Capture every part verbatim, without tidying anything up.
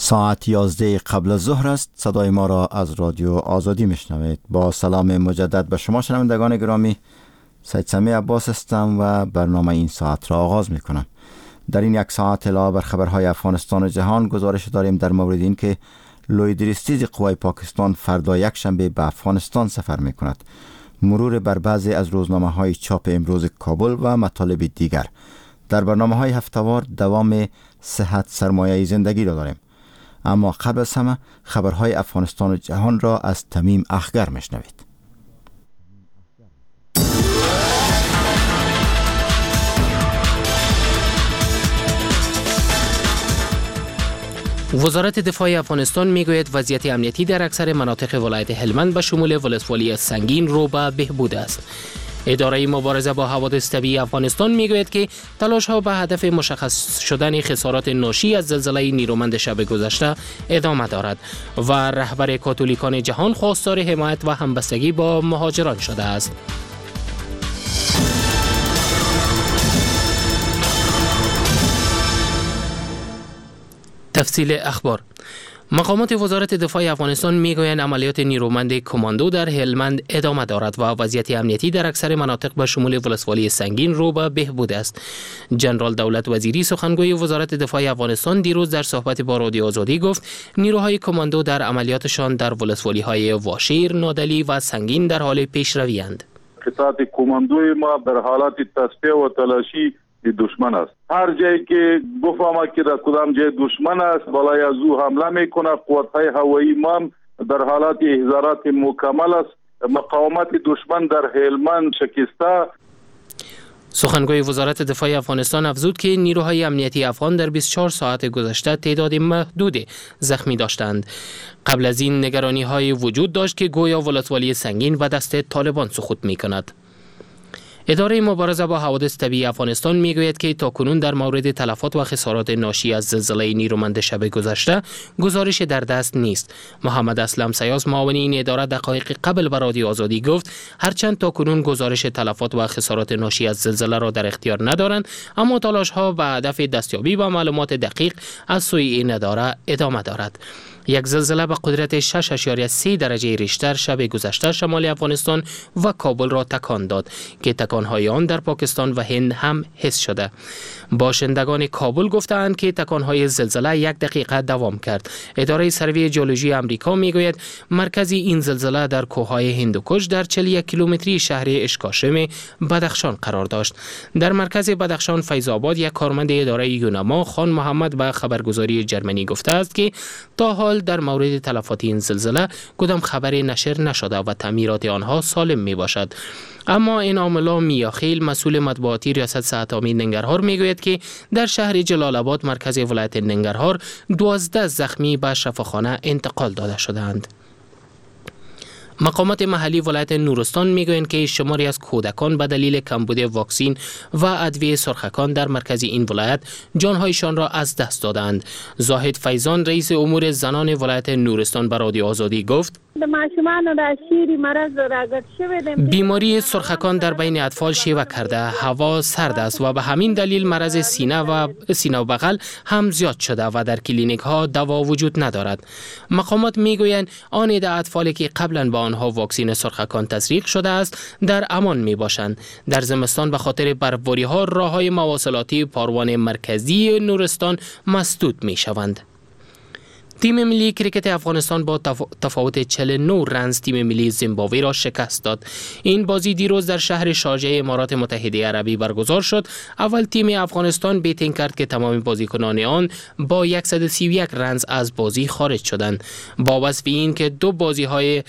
ساعت یازده قبل از ظهر است. صدای ما را از رادیو آزادی میشنوید. با سلام مجدد به شما شنوندگان گرامی، سید سمیع عباس هستم و برنامه این ساعت را آغاز میکنم. در این یک ساعت علاوه بر خبرهای افغانستان و جهان گزارش داریم در مورد این که لوی درستیز قوای پاکستان فردا یک شنبه به افغانستان سفر میکند، مرور بر بعضی از روزنامه های چاپ امروز کابل و مطالب دیگر. در برنامه های هفتوار دوام صحت سرمایه زندگی را داریم. اما قبل از همه خبرهای افغانستان و جهان را از تمیم اخگر میشنوید. وزارت دفاع افغانستان میگوید وضعیت امنیتی در اکثر مناطق ولایت هلمند به شمول ولسوالی سنگین رو به بهبود است. اداره مبارزه با حوادث طبیعی افغانستان میگوید که تلاش‌ها به هدف مشخص شدن خسارات ناشی از زلزله نیرومند شب گذشته ادامه دارد و رهبر کاتولیکان جهان خواستار حمایت و همبستگی با مهاجران شده است. تفصیل اخبار. مقامات وزارت دفاع افغانستان میگویند عملیات نیرومند کماندو در هلمند ادامه دارد و وضعیت امنیتی در اکثر مناطق به شمول ولسوالی سنگین رو به بهبود است. جنرال دولت وزیری سخنگوی وزارت دفاع افغانستان دیروز در صحبت با رادیو آزادی گفت نیروهای کماندو در عملیاتشان در ولسوالی‌های واشیر، نادلی و سنگین در حال پیشروی اند. قطعات کماندوی ما در حالت تصفیه و تلاشی دشمن است. هر جایی که بفهمه که در کدام جای دشمن است بالای از او حمله میکنه. قوت‌های هوایی ما در حالت احضارات مکمل است. مقاومت دشمن در هلمند شکسته. سخنگوی وزارت دفاع افغانستان افزود که نیروهای امنیتی افغان در بیست و چهار ساعت گذشته تعداد محدود زخمی داشتند. قبل از این نگرانی‌های وجود داشت که گویا ولسوالی سنگین به دست طالبان سقوط می‌کند. اداره مبارزه با حوادث طبیعی افغانستان میگوید که تاکنون در مورد تلفات و خسارات ناشی از زلزله نیرومند شب گذشته گزارش در دست نیست. محمد اسلم سیاس معاون این اداره دقایق قبل به رادیو آزادی گفت هرچند تاکنون گزارش تلفات و خسارات ناشی از زلزله را در اختیار ندارند، اما تلاش ها به هدف دستیابی به معلومات دقیق از سوی این اداره ادامه دارد. یک زلزله به قدرت شش اعشاریه سه درجه ریشتر شب گذشته شمال افغانستان و کابل را تکان داد که تکانهای آن در پاکستان و هند هم حس شده. باشندگان کابل گفتند که تکانهای زلزله یک دقیقه دوام کرد. اداره سروی جیولوژی امریکا میگوید مرکز این زلزله در کوههای هندوکش در چهل و یک کیلومتری شهر اشکاشم بدخشان قرار داشت. در مرکز بدخشان فیض آباد یک کارمند اداره یونما خان محمد به خبرگزاری جرمنی گفته است که تا حال در مورد تلفات این زلزله کدام خبری نشر نشده و تعمیرات آنها سالم می باشد. اما این عاملا میاخیل مسئول مطبوعاتی ریاست صحت عامه ننگرهار میگوید که در شهر جلال آباد مرکز ولایت ننگرهار دوازده زخمی به شفاخانه انتقال داده شدند. مقامات محلی ولایت نورستان میگویند که شماری از کودکان به دلیل کمبود واکسین و ادویه سرخکان در مرکز این ولایت جانهایشان را از دست دادند. زاهد فیضان رئیس امور زنان ولایت نورستان به رادیو آزادی گفت بیماری سرخکان در بین اطفال شیوع کرده، هوا سرد است و به همین دلیل مرض سینه و سینه و بغل هم زیاد شده و در کلینیک ها دوا وجود ندارد. مقامات میگویند آن عده اطفالی که قبلا به آنها واکسین سرخکان تزریق شده است در امان می باشند. در زمستان به خاطر برفباری ها راه های مواصلاتی پاروان مرکزی نورستان مسدود می شوند. تیم ملی کرکت افغانستان با تفاوت چهل و نه رنز تیم ملی زیمبابوه را شکست داد. این بازی دیروز در شهر شارجه امارات متحده عربی برگزار شد. اول تیم افغانستان بیتینگ کرد که تمام بازیکنان آن با صد و سی و یک رنز از بازی خارج شدند. با وصف این که دو بازی های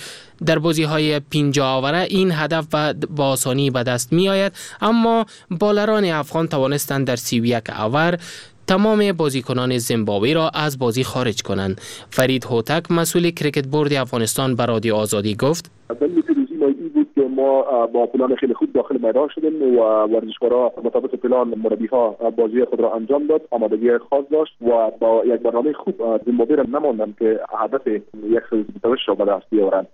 در بازی های پنجاه آوره این هدف با آسانی به دست می آید، اما بالران افغان توانستند در سی و یک آور تمام بازیکنان زیمبابوه را از بازی خارج کنند. فرید هوتک مسئول کرکت بورد افغانستان به رادیو آزادی گفت: دلیل پیروزی ما این بود که ما با پلان خیلی خوب داخل میدان شدیم و ورزشکارا مطابق پلان مربی‌ها بازی خود را انجام داد، آمادگی خاص داشت و با یک برنامه خوب زیمبابوه را نماندند که هدف صد و بیست و هشت را به دست بیاورند.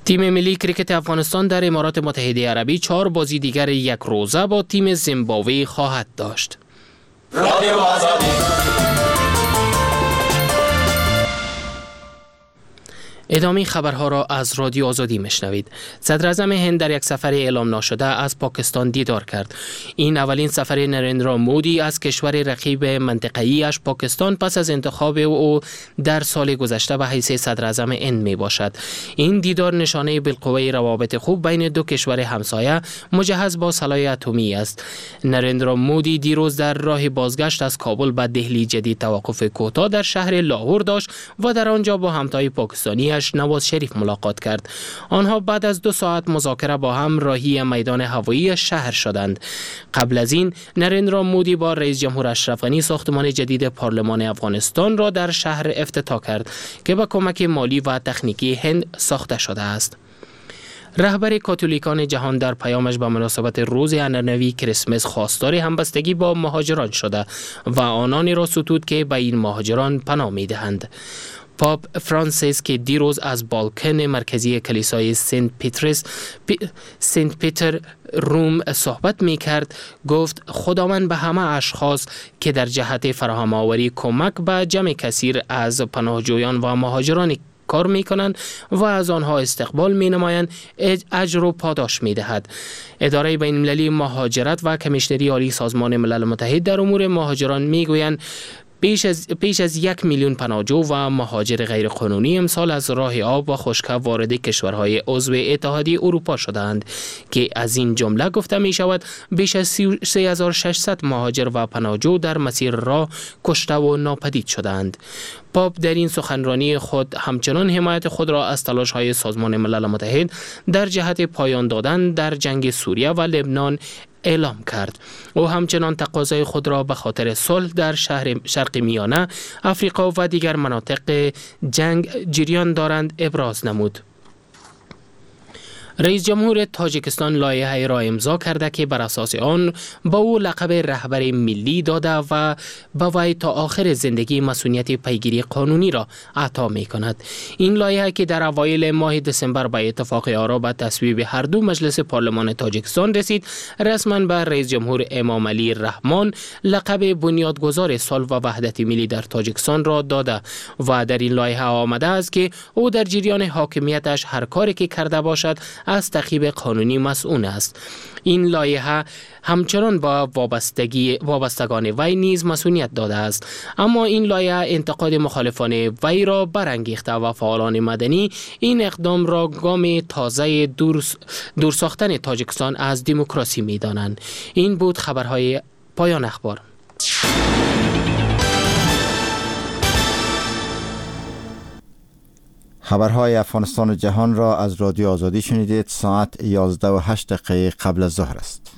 تیم ملی کرکت افغانستان در امارات متحده عربی چهار بازی دیگر یک روزه با تیم زیمبابوه خواهد داشت. رادیو آزادی. ادامه خبرها را از رادیو آزادی میشنوید. صدراعظم هند در یک سفر اعلام ناشده از پاکستان دیدار کرد. این اولین سفر نریندرا مودی از کشور رقیب منطقه‌ای اش پاکستان پس از انتخاب او در سال گذشته به حیث صدراعظم هند می باشد. این دیدار نشانه بالقوه روابط خوب بین دو کشور همسایه مجهز با سلاح اتمی است. نریندرا مودی دیروز در راه بازگشت از کابل به دهلی جدید توقف کوتاه در شهر لاهور داشت و در آنجا با همتای پاکستانی نواز شریف ملاقات کرد. آنها بعد از دو ساعت مذاکره با هم راهی میدان هوایی شهر شدند. قبل از این نریندرا مودی با رئیس جمهور اشرف غنی ساختمان جدید پارلمان افغانستان را در شهر افتتاح کرد که با کمک مالی و تکنیکی هند ساخته شده است. رهبر کاتولیکان جهان در پیامش به مناسبت روز عنعنوی کریسمس خواستار همبستگی با مهاجران شده و آنانی را ستود که به این مهاجران پناه می‌دهند. پاپ فرانسیس که دیروز از بالکن مرکزی کلیسای سنت پیترس پی سنت پیتر روم صحبت می کرد گفت خداوند به همه اشخاص که در جهت فراهم آوری کمک به جمع کثیر از پناهجویان و مهاجران کار می کنند و از آنها استقبال می نمایند اجر و پاداش می دهد. اداره بین المللی مهاجرت و کمیشنری عالی سازمان ملل متحد در امور مهاجران می گویند بیش از, بیش از یک میلیون پناهجو و مهاجر غیرقانونی امسال از راه آب و خشکه وارد کشورهای عضو اتحادیه اروپا شدند که از این جمله گفته می شود بیش از سه هزار و ششصد مهاجر و پناهجو در مسیر راه کشته و ناپدید شدند. پاپ در این سخنرانی خود همچنان حمایت خود را از تلاش‌های سازمان ملل متحد در جهت پایان دادن در جنگ سوریه و لبنان اعلام کرد. او همچنان تقاضای خود را به خاطر صلح در شهر شرق میانه، افریقا و دیگر مناطق جنگ جریان دارند ابراز نمود. رئیس جمهور تاجیکستان لایحه را امضا کرده که بر اساس آن با او لقب رهبر ملی داده و به وی تا آخر زندگی مسئولیت پیگیری قانونی را عطا می کند. این لایحه که در اوایل ماه دسامبر به اتفاق آرا به تصویب هر دو مجلس پارلمان تاجیکستان رسید، رسما به رئیس جمهور امام علی رحمان لقب بنیادگذار صلح و وحدت ملی در تاجیکستان را داده و در این لایحه آمده است که او در جریان حاکمیتش هر کاری که کرده باشد از تعقیب قانونی مسئول است. این لایحه همچنان با وابستگی وابستگان وی نیز مسئولیت داده است، اما این لایحه انتقاد مخالفان وی را برانگیخته و فعالان مدنی این اقدام را گام تازه دور, دور ساختن تاجیکستان از دموکراسی می دانند. این بود خبرهای پایان اخبار. خبرهای افغانستان و جهان را از رادیو آزادی شنیدید. ساعت یازده و هشت دقیقه قبل از ظهر است.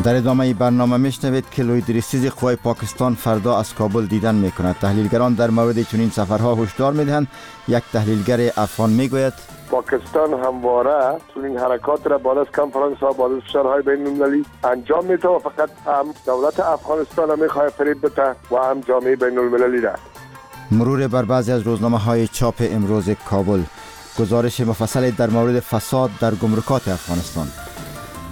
در ادامه برنامه میشنوید که لوی درستیز قوای پاکستان فردا از کابل دیدن میکند. تحلیلگران در مورد چنین سفرها هشدار میدهند. یک تحلیلگر افغان میگوید پاکستان همواره چنین حرکات را بعد از کنفرانس ها، بعد از فشارهای بین المللی انجام میده و فقط هم دولت افغانستان میخواد فریب بده و هم جامعه بین المللی را. مرور بر بعضی از روزنامه های چاپ امروز کابل، گزارش مفصل در مورد فساد در گمرکات افغانستان.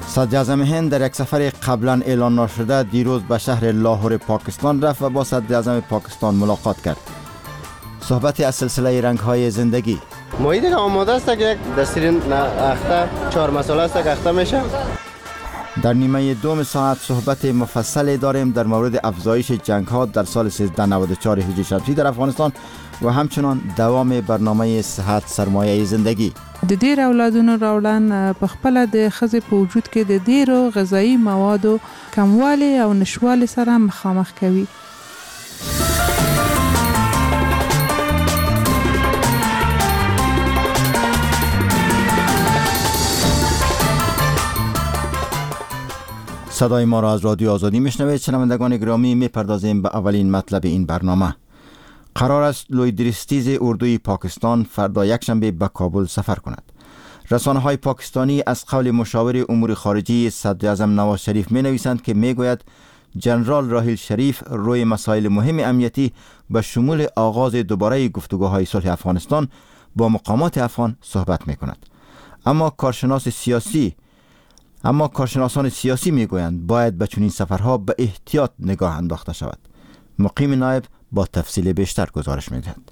صدراعظم هند در یک سفر قبلا اعلان نشده دیروز به شهر لاهور پاکستان رفت و با صدراعظم پاکستان ملاقات کرد. صحبت از سلسله رنگ‌های زندگی. ماهی دیگه آماده است که یک دستیر اخته چهار مساله است که اخته میشه. در نیمه دوم ساعت صحبت مفصل داریم در مورد افزایش جنگ‌ها در سال سیزده نود و چهار هجری شمسی در افغانستان و همچنان دوام برنامه صحت سرمایه زندگی. د ډیر اولادونو راوړن په خپله د ښځې په وجود کې د ډیرو غذایي موادو کموالی او نشوالي سره مخامخ کوي. صدای ما را از رادیو آزادی میشنوید. شنوندگان گرامی، میپردازیم به اولین مطلب این برنامه. قرار است لوی درستیز اردوی پاکستان فردا یکشنبه به کابل سفر کند. رسانه‌های پاکستانی از قول مشاور امور خارجی صدراعظم نواز شریف می‌نویسند که می‌گوید جنرال راحیل شریف روی مسائل مهم امنیتی به شمول آغاز دوباره گفتگوهای صلح افغانستان با مقامات افغان صحبت می‌کند. اما کارشناس سیاسی اما کارشناسان سیاسی میگویند باید به چنین سفرها به احتیاط نگاه انداخته شود. مقیم نایب با تفصیل بیشتر گزارش میدهد.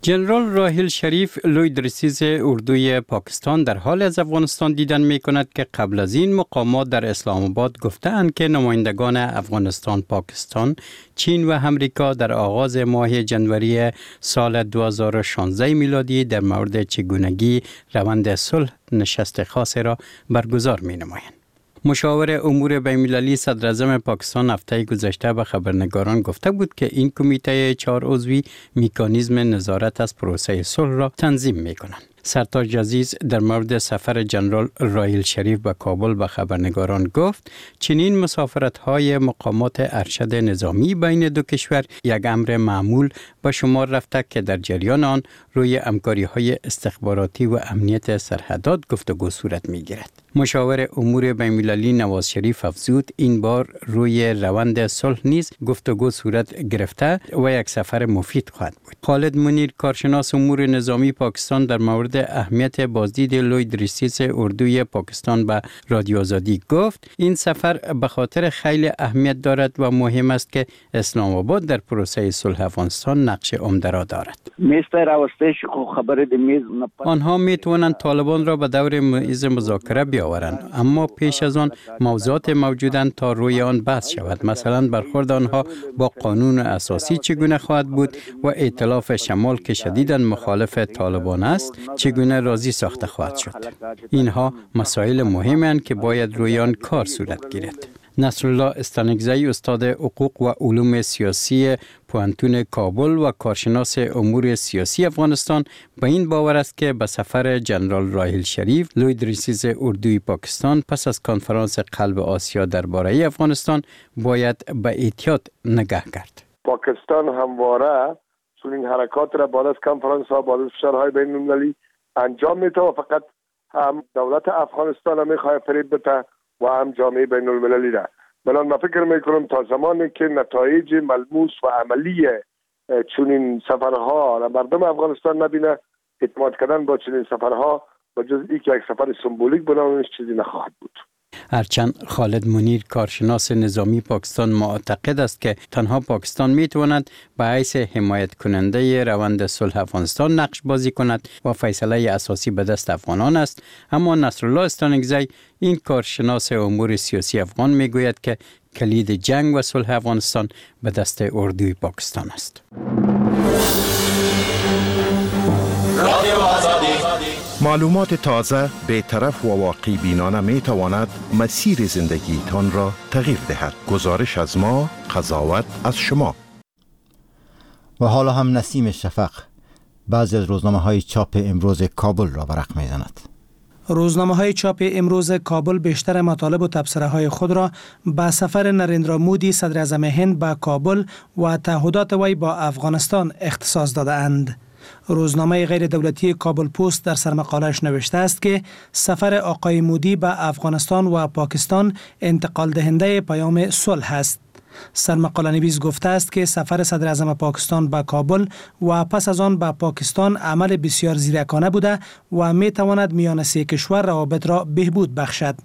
جنرال راحیل شریف، لوی درستیز اردوی پاکستان، در حالی از افغانستان دیدن می کند که قبل از این مقامات در اسلام آباد گفتند که نمایندگان افغانستان، پاکستان، چین و امریکا در آغاز ماه جنوری سال دو هزار و شانزده میلادی در مورد چگونگی روند صلح نشست خاص را برگزار می نمایند. مشاور امور بین‌المللی صدراعظم پاکستان هفته گذشته به خبرنگاران گفته بود که این کمیته چهار عضوی میکانیزم نظارت از پروسه صلح را تنظیم می کنند. سرتاج عزیز در مورد سفر جنرال راحیل شریف به کابل به خبرنگاران گفت چنین مسافرت های مقامات ارشد نظامی بین دو کشور یک امر معمول به شمار رفته که در جریان آن روی همکاری های استخباراتی و امنیت سرحدات گفتگو صورت می گیرد. مشاور امور بین‌المللی نواز شریف افزود این بار روی روند صلح نیز گفتگو صورت گرفته و یک سفر مفید خواهد بود. خالد منیر، کارشناس امور نظامی پاکستان، در مورد اهمیت بازدید لوی درستیز اردوی پاکستان به رادیو آزادی گفت این سفر به خاطر خیلی اهمیت دارد و مهم است که اسلام آباد در پروسه صلح افغانستان نقش عمده را دارد. آنها می توانند طالبان را به دور میز مذاکره بیاورند، اما پیش از آن موضوعات موجودند تا روی آن بحث شود. مثلا برخورد آنها با قانون اساسی چگونه خواهد بود و ائتلاف شمال که شدیداً مخالف طالبان است چگونه راضی ساخته خواهد شد. اینها مسائل مهمند که باید روی آن کار صورت گیرد. نصرالله استانکزی، استاد حقوق و علوم سیاسی پوهنتون کابل و کارشناس امور سیاسی افغانستان، به این باور است که به سفر جنرال راحیل شریف، لوی درستیز اردوی پاکستان، پس از کنفرانس قلب آسیا درباره افغانستان باید به احتیاط نگاه کرد. پاکستان همواره چنین حرکات را بعد از کنفرانس ها، بعد از فشارهای بین المللی انجام میده و فقط هم دولت افغانستان را میخواد فریب بده و هم جامعه بین المللی را. بناً من فکر میکنم تا زمانی که نتایج ملموس و عملی چنین سفرها را مردم افغانستان نبینه، اعتماد کردن با چنین سفرها و جز ای که یک سفر سمبولیک بنامش چیزی نخواهد بود. هرچند خالد منیر، کارشناس نظامی پاکستان، معتقد است که تنها پاکستان می تواند به حیث حمایت کننده روند صلح افغانستان نقش بازی کند و فیصله اساسی به دست افغانان است، اما نصرالله استانکزی، این کارشناس امور سیاسی افغان، می گوید که کلید جنگ و صلح افغانستان به دست اردوی پاکستان است. رادیو آزادی. معلومات تازه، بیطرف و واقع بینانه می تواند مسیر زندگیتان را تغییر دهد. گزارش از ما، قضاوت از شما. و حالا هم نسیم شفق بعضی از روزنامه های چاپ امروز کابل را ورق می زند. روزنامه های چاپ امروز کابل بیشتر مطالب و تبصره های خود را به سفر نریندرا مودی، صدر اعظم هند، به کابل و تعهدات وی با افغانستان اختصاص داده اند. روزنامه غیر دولتی کابل پست در سرمقالش نوشته است که سفر آقای مودی به افغانستان و پاکستان انتقال دهنده پیام صلح است. سرمقاله نویس گفته است که سفر صدر اعظم پاکستان به کابل و پس از آن به پاکستان عمل بسیار زیرکانه بوده و می تواند میان سه کشور روابط را بهبود بخشد.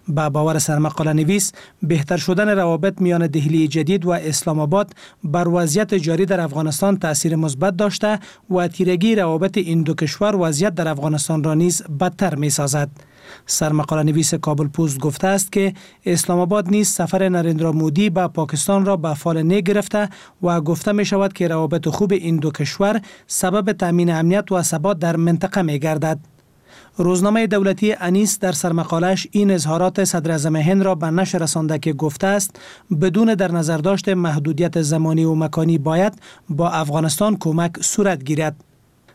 به باور سرمقاله نویس، بهتر شدن روابط میان دهلی جدید و اسلام آباد بر وضعیت جاری در افغانستان تاثیر مثبت داشته و تیرگی روابط این دو کشور وضعیت در افغانستان را نیز بدتر می سازد. سرمقاله نویس کابل پست گفته است که اسلام آباد نیز سفر نریندرا مودی به پاکستان را به فال نیک گرفته و گفته می شود که روابط خوب این دو کشور سبب تامین امنیت و ثبات در منطقه می گردد. روزنامه دولتی انیس در سرمقالش این اظهارات صدر اعظم هند را به نشر رسانده که گفته است بدون در نظر داشت محدودیت زمانی و مکانی باید با افغانستان کمک صورت گیرد.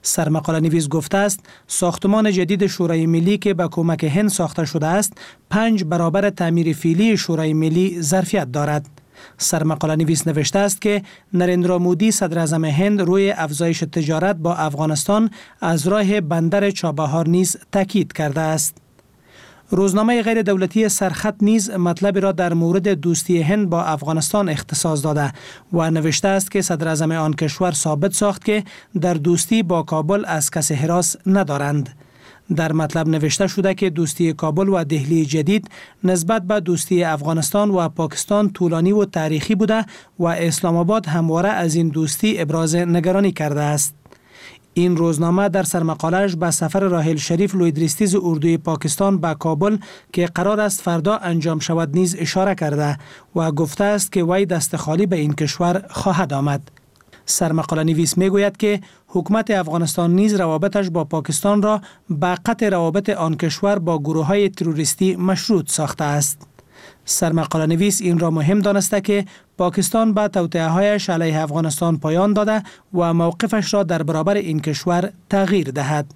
سرمقاله نویس گفته است ساختمان جدید شورای ملی که به کمک هند ساخته شده است، پنج برابر تعمیر فعلی شورای ملی ظرفیت دارد. سرمقاله نویس نوشته است که نریندرا مودی، صدر اعظم هند، روی افزایش تجارت با افغانستان از راه بندر چابهار نیز تاکید کرده است. روزنامه غیر دولتی سرخط نیز مطلبی را در مورد دوستی هند با افغانستان اختصاص داده و نوشته است که صدر اعظم آن کشور ثابت ساخت که در دوستی با کابل از کسی هراس ندارند. در مطلب نوشته شده که دوستی کابل و دهلی جدید نسبت به دوستی افغانستان و پاکستان طولانی و تاریخی بوده و اسلام آباد همواره از این دوستی ابراز نگرانی کرده است. این روزنامه در سرمقاله‌اش به سفر راحیل شریف لوی درستیز اردوی پاکستان به کابل که قرار است فردا انجام شود نیز اشاره کرده و گفته است که وی دست خالی به این کشور خواهد آمد. سرمقاله نویس میگوید که حکومت افغانستان نیز روابطش با پاکستان را به قطع روابط آن کشور با گروه های تروریستی مشروط ساخته است. سرمقاله نویس این را مهم دانسته که پاکستان به توطئه هایش علیه افغانستان پایان داده و موقفش را در برابر این کشور تغییر دهد.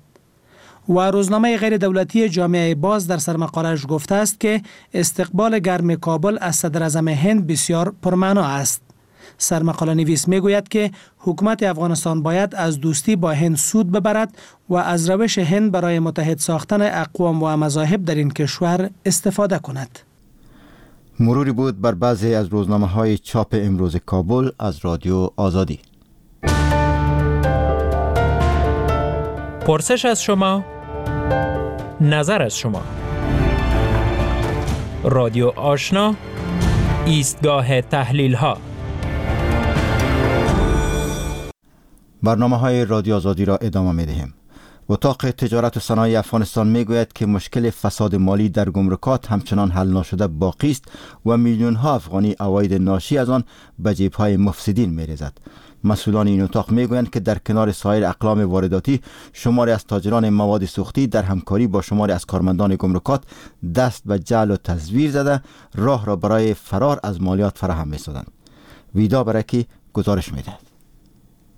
و روزنامه غیر دولتی جامعه باز در سرمقاله‌اش گفته است که استقبال گرم کابل از صدر اعظم هند بسیار پرمعنا است. سرمقاله نویس میگوید که حکومت افغانستان باید از دوستی با هند سود ببرد و از روش هند برای متحد ساختن اقوام و مذاهب در این کشور استفاده کند. مروری بود بر بعضی از روزنامه های چاپ امروز کابل از رادیو آزادی. پرسش از شما، نظر از شما. رادیو آشنا، ایستگاه تحلیل ها. برنامه های رادیو آزادی را ادامه می دهیم. اتاق تجارت و صنایع افغانستان می گوید که مشکل فساد مالی در گمرکات همچنان حل ناشده باقی است و میلیون ها افغانی عواید ناشی از آن به جیب های مفسدین می ریزد. مسئولان این اتاق می گویند که در کنار سایر اقلام وارداتی شماری از تاجران مواد سوختی در همکاری با شماری از کارمندان گمرکات دست به جعل و تزویر زده راه را برای فرار از مالیات فراهم می سازند. ویدا برکی گزارش می دهد.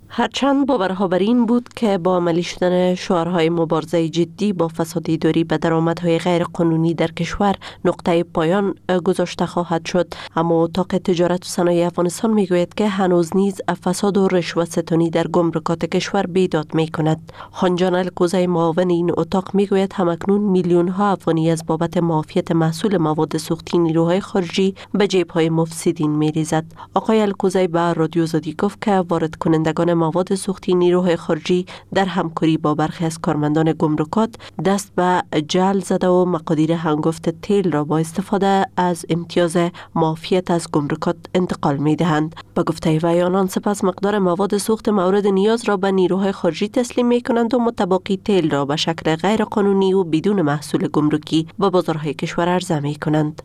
هرچند باورها بر این بود که با عملی شدن شعارهای مبارزه جدی با فساد اداری به درآمدهای غیر قانونی در کشور نقطه پایان گذاشته خواهد شد، اما اتاق تجارت و صنایع افغانستان میگوید که هنوز نیز فساد و رشوه ستانی در گمرکات کشور بیداد میکند. خانجان الکوزی معاون این اتاق میگوید همکنون میلیون ها افغانی از بابت معافیت محصول مواد سوختی نیروهای خارجی به جیب‌های مفسدین میریزد. آقای الکوزی به رادیو آزادی گفت که وارد کنندگان مواد سوختی نیروهای خارجی در همکاری با برخی از کارمندان گمرکات دست به جعل زده و مقادیر هنگفت تیل را با استفاده از امتیاز معافیت از گمرکات انتقال می دهند. به گفته وی آنان سپس مقدار مواد سوخت مورد نیاز را به نیروهای خارجی تسلیم می کنند و متباقی تیل را به شکل غیر قانونی و بدون محصول گمرکی به بازارهای کشور عرضه می کنند.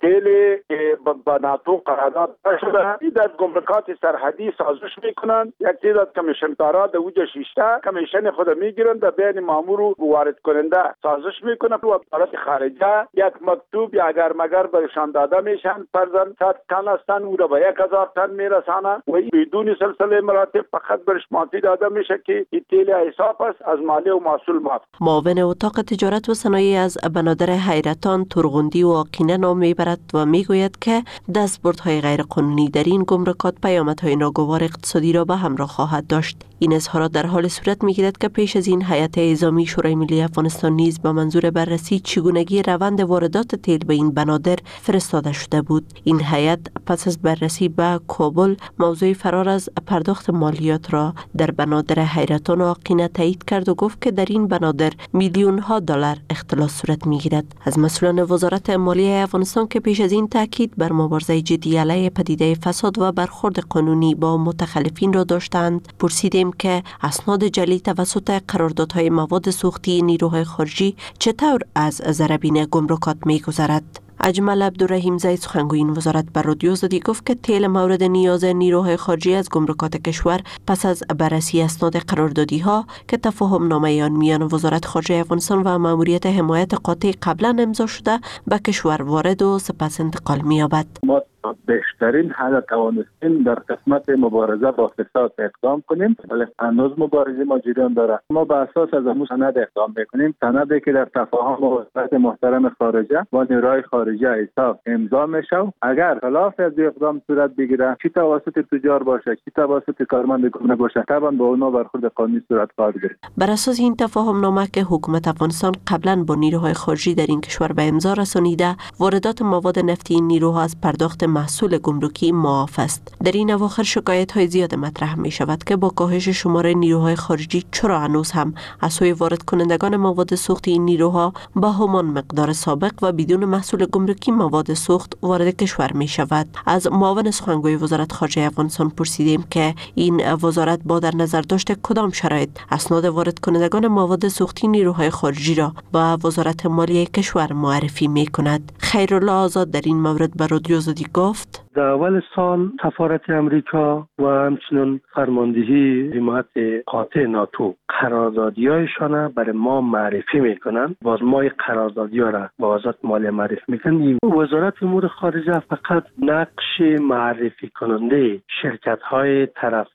با ناتو قرارداد شده در گمرکات سرحدی سازش میکنند، یک تعداد کمیشن دارا در اوج شیشته کمیشن خود میگیرند در بین مامور و وارد کننده سازش میکنند و وزارت خارجه یک مکتوب یا اگر مگر برشان داده میشن، فرضاً صد تن هستند او را به یک هزار تن میرسانه و بدون سلسله مراتب فقط برش معافی داده میشه که این تیل حساب است از مالی و محصول معاف. معاون اتاق تجارت و صنایع از بنادر حیرتان، ترغندی و آقینه نام میبرد و میگوید که دستبردهای غیرقانونی در این گمرکات پیامدهای ناگوار اقتصادی را به همراه خواهد داشت. این اظهارات در حال صورت میگیرد که پیش از این هیئت اعزامی شورای ملی افغانستان نیز به منظور بررسی چگونگی روند واردات تیل به این بنادر فرستاده شده بود. این هیئت پس از بررسی به کابل موضوع فرار از پرداخت مالیات را در بنادر حیرتان و آقینه تایید کرد و گفت که در این بنادر میلیون ها دلار اختلاس صورت میگیرد. از مسئولان وزارت مالیه افغانستان که پیش از این تاکید بر مبارزه جدی علیه پدیده فساد و برخورد قانونی با متخلفین را داشتند، پرسیدیم که اسناد جعلی توسط قراردادهای مواد سوختی نیروهای خارجی چطور از ضربین گمرکات می‌گذرد. اجمل عبدالرحیم زید سخنگوی این وزارت بر رادیو آزادی گفت که تیل مورد نیاز نیروهای خارجی از گمرکات کشور پس از بررسی اسناد قراردادی ها که تفاهم نامه آن میان وزارت خارجه افغانستان و ماموریت حمایت قاطع قبلا امضا شده به کشور وارد و سپس انتقال می‌یابد. ما بهترین حد توانستیم در قسمت مبارزه با فساد اقدام کنیم، ولی هنوز مبارزه ما جریان داره. ما به اساس از امو سند اقدام میکنیم، سندی که در تفاهم وزارت محترم خارجه با نیروهای خارجه حساب امضا میشه. اگر خلاف از اقدام صورت بگیره، چی توسط تجار باشه چی توسط کارمند گمرک باشه، طبعا با اونا برخورد قانونی صورت خواهد گرفت. بر اساس این تفاهم نامه که حکومت افغانستان قبلا با نیروهای خارجی در این کشور به امضا رسانیده، واردات مواد نفتی این نیروها از پرداخت محصول گمرکی معاف است. در این اواخر شکایت های زیاد مطرح می شود که با کاهش شمار نیروهای خارجی چرا هنوز هم از سوی وارد کنندگان مواد سوختی این نیروها با همان مقدار سابق و بدون محصول گمرکی مواد سوخت وارد کشور می شود. از معاون سخنگوی وزارت خارجه افغانستان پرسیدیم که این وزارت با در نظر داشت کدام شرایط اسناد وارد کنندگان مواد سوختی نیروهای خارجی را با وزارت مالیه کشور معرفی می کند. خیرالله آزاد در این مورد به رادیو آزادی گفت: در اول سال سفارت امریکا و همچنین فرماندهی حمایت قاطع ناتو قراردادی‌هایشان برای ما معرفی میکنن. باز ما قراردادی‌ها را با وزارت مالیه معرفی میکنن. وزارت امور خارجه فقط نقش معرفی کننده شرکت‌های طرف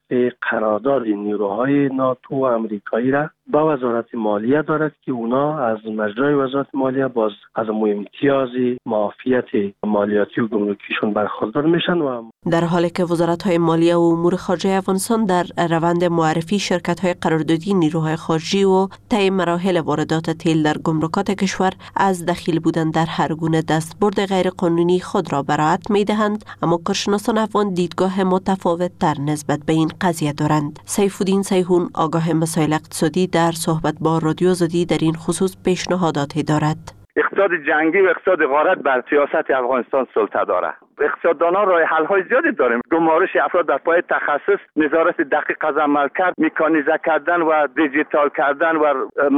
قرارداد نیروهای ناتو و امریکایی را با وزارت مالیه دارد که اونا از مجرای وزارت مالیه باز از امتیاز معافیت مالیاتی و گمرکیشون برخوردار میشن. و در حالی که وزارت‌های مالیه و امور خارجه افغانستان در روند معرفی شرکت‌های قراردادی نیروهای خارجی و طی مراحل واردات تیل در گمرکات کشور از دخیل بودن در هر گونه دستبرد غیرقانونی خود را برائت می‌دهند، اما کارشناسان افغان دیدگاه متفاوت‌تر نسبت به این قضیه دارند. سیف‌الدین سیحون، آگاه مسائل اقتصادی، در صحبت با رادیو آزادی در این خصوص پیشنهاداتی دارد. اقتصاد جنگی و اقتصاد غارت بر سیاست افغانستان سلطه دارد. اقتصاددانان راه حل های زیادی داریم. گمارش افراد در پای تخصص، نظارت دقیق از عملکرد، مکانیزه کردن و دیجیتال کردن و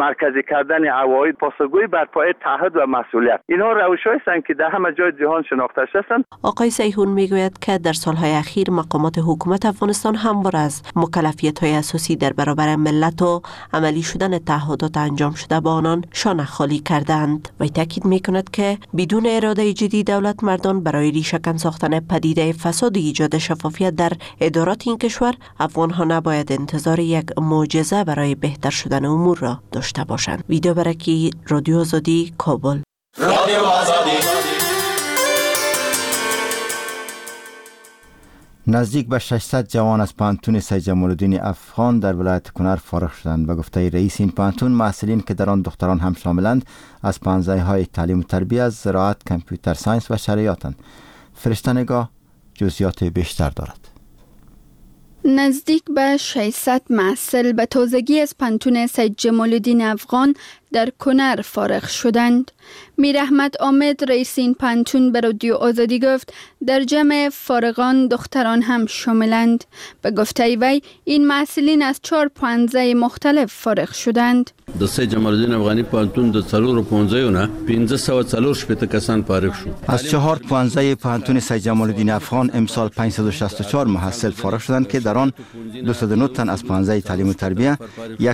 مرکزی کردن عواید، پاسخگویی بر پای تعهد و مسئولیت. اینها روش‌هایی هستند که در همه جای جهان شناخته شده‌اند. آقای سیحون میگوید که در سالهای اخیر مقامات حکومت افغانستان همواره از مکلفیت‌های اساسی در برابر ملت و عملی شدن تعهدات انجام شده با آنان شانه خالی کردند. و تاکید میکند که بدون اراده جدی دولت مردان برای ریشه کن ساختن پدیده فساد ایجاد شفافیت در ادارات این کشور، افغانها نباید انتظار یک معجزه برای بهتر شدن امور را داشته باشند. ویدیو برکی، رادیو آزادی، کابل. رادیو آزادی. نزدیک به ششصد جوان از پوهنتون سید جمال‌الدین افغان در ولایت کنر فارغ شدند. به گفته رئیس این پوهنتون، محصلین که در آن دختران هم شاملند از پوهنځی‌های تعلیم و تربیت، زراعت، computer science و شرعیاتند. فرشته نگاه جزئیات بیشتر دارد. نزدیک به ششصد محصل به تازگی از پوهنتون سید جمال‌الدین افغان در کنر فارغ شدند. میر احمد آمد، رئیس این پوهنتون، به رادیو آزادی گفت در جمع فارغان دختران هم شاملند. به گفته وی این محصلین از چهار پوهنځی مختلف فارغ شدند. د سید جمال‌الدین افغانی پوهنتون د څلورو پوهنځیو نه پنځه سوه څلور شپېته کسان فارغ شو. از چهار پوهنځی پوهنتون سید جمال‌الدین افغان امسال پانصد و شصت و چهار محصل فارغ شدند که در آن دویست و نه تن از پوهنځی تعلیم و تربیه،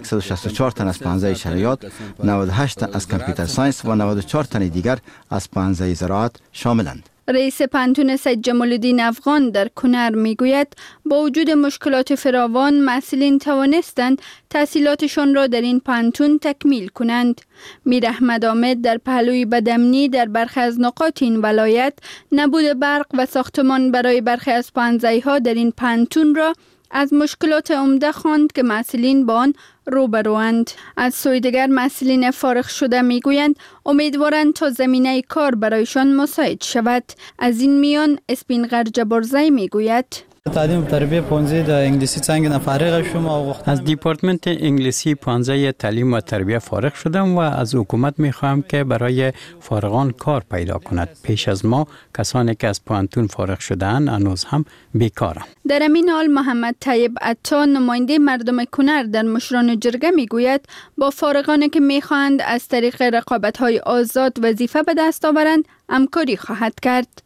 صد و شصت و چهار تن از پوهنځی شرعیات، نود و هشت تن از computer science و نود و چهار تن دیگر از پوهنځی زراعت شاملند. رئیس پوهنتون سید جمال‌الدین افغان در کنر میگوید با وجود مشکلات فراوان محصلین توانستند تحصیلاتشان را در این پوهنتون تکمیل کنند. میر احمد آمد در پهلوی بدامنی در برخی از نقاط این ولایت، نبود برق و ساختمان برای برخی از پوهنځی‌ها در این پوهنتون را از مشکلات عمده خواند که محصلین با آن روبروند. از سوی دیگر محصلین فارغ شده میگویند امیدوارند تا زمینه کار برایشان مساعد شود. از این میان اسپینغر جبارزی میگوید: تعلیم تربیه پوهنځی د انگلیسی څانګې نه فارغ شوم او از دیپارتمنت انگلیسی پوهنځی تعلیم و تربیه فارغ شدم و از حکومت میخواهم که برای فارغان کار پیدا کند. پیش از ما کسانی که از پوهنتون فارغ شده‌اند هنوز هم بیکارند. در همین حال محمد طیب عطا، نماینده مردم کنر در مشران جرگه، میگوید با فارغانی که میخواهند از طریق رقابت‌های آزاد وظیفه به دست آورند همکاری خواهد کرد.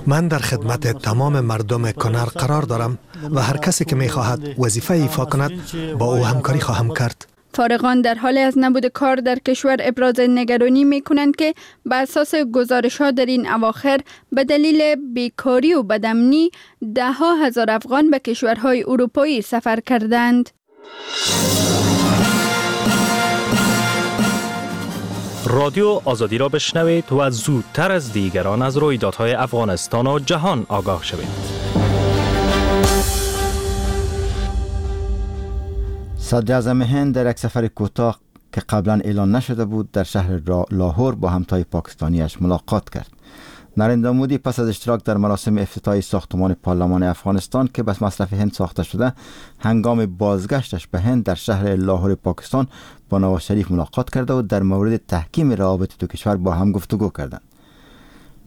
من در خدمت تمام مردم کنر قرار دارم و هر کسی که میخواهد وظیفه ایفا کند با او همکاری خواهم کرد. فارغان در حال از نبود کار در کشور ابراز نگرانی می کنند که به اساس گزارش ها در این اواخر به دلیل بیکاری و بدامنی ده ها هزار افغان به کشورهای اروپایی سفر کردند. رادیو آزادی را بشنوید و زودتر از دیگران از رویدادهای افغانستان و جهان آگاه شوید. صدراعظم هند در یک سفر کوتاه که قبلا اعلان نشده بود در شهر لاهور با همتای پاکستانیش ملاقات کرد. نریندرا مودی پس از اشتراک در مراسم افتتاح ساختمان پارلمان افغانستان که به مصرف هند ساخته شده، هنگام بازگشتش به هند در شهر لاهور پاکستان با نواز شریف ملاقات کرده و در مورد تحکیم روابط دو کشور با هم گفتگو کردند.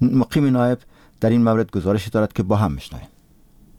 مقیم نایب در این مورد گزارشی دارد که با هم میشنویم.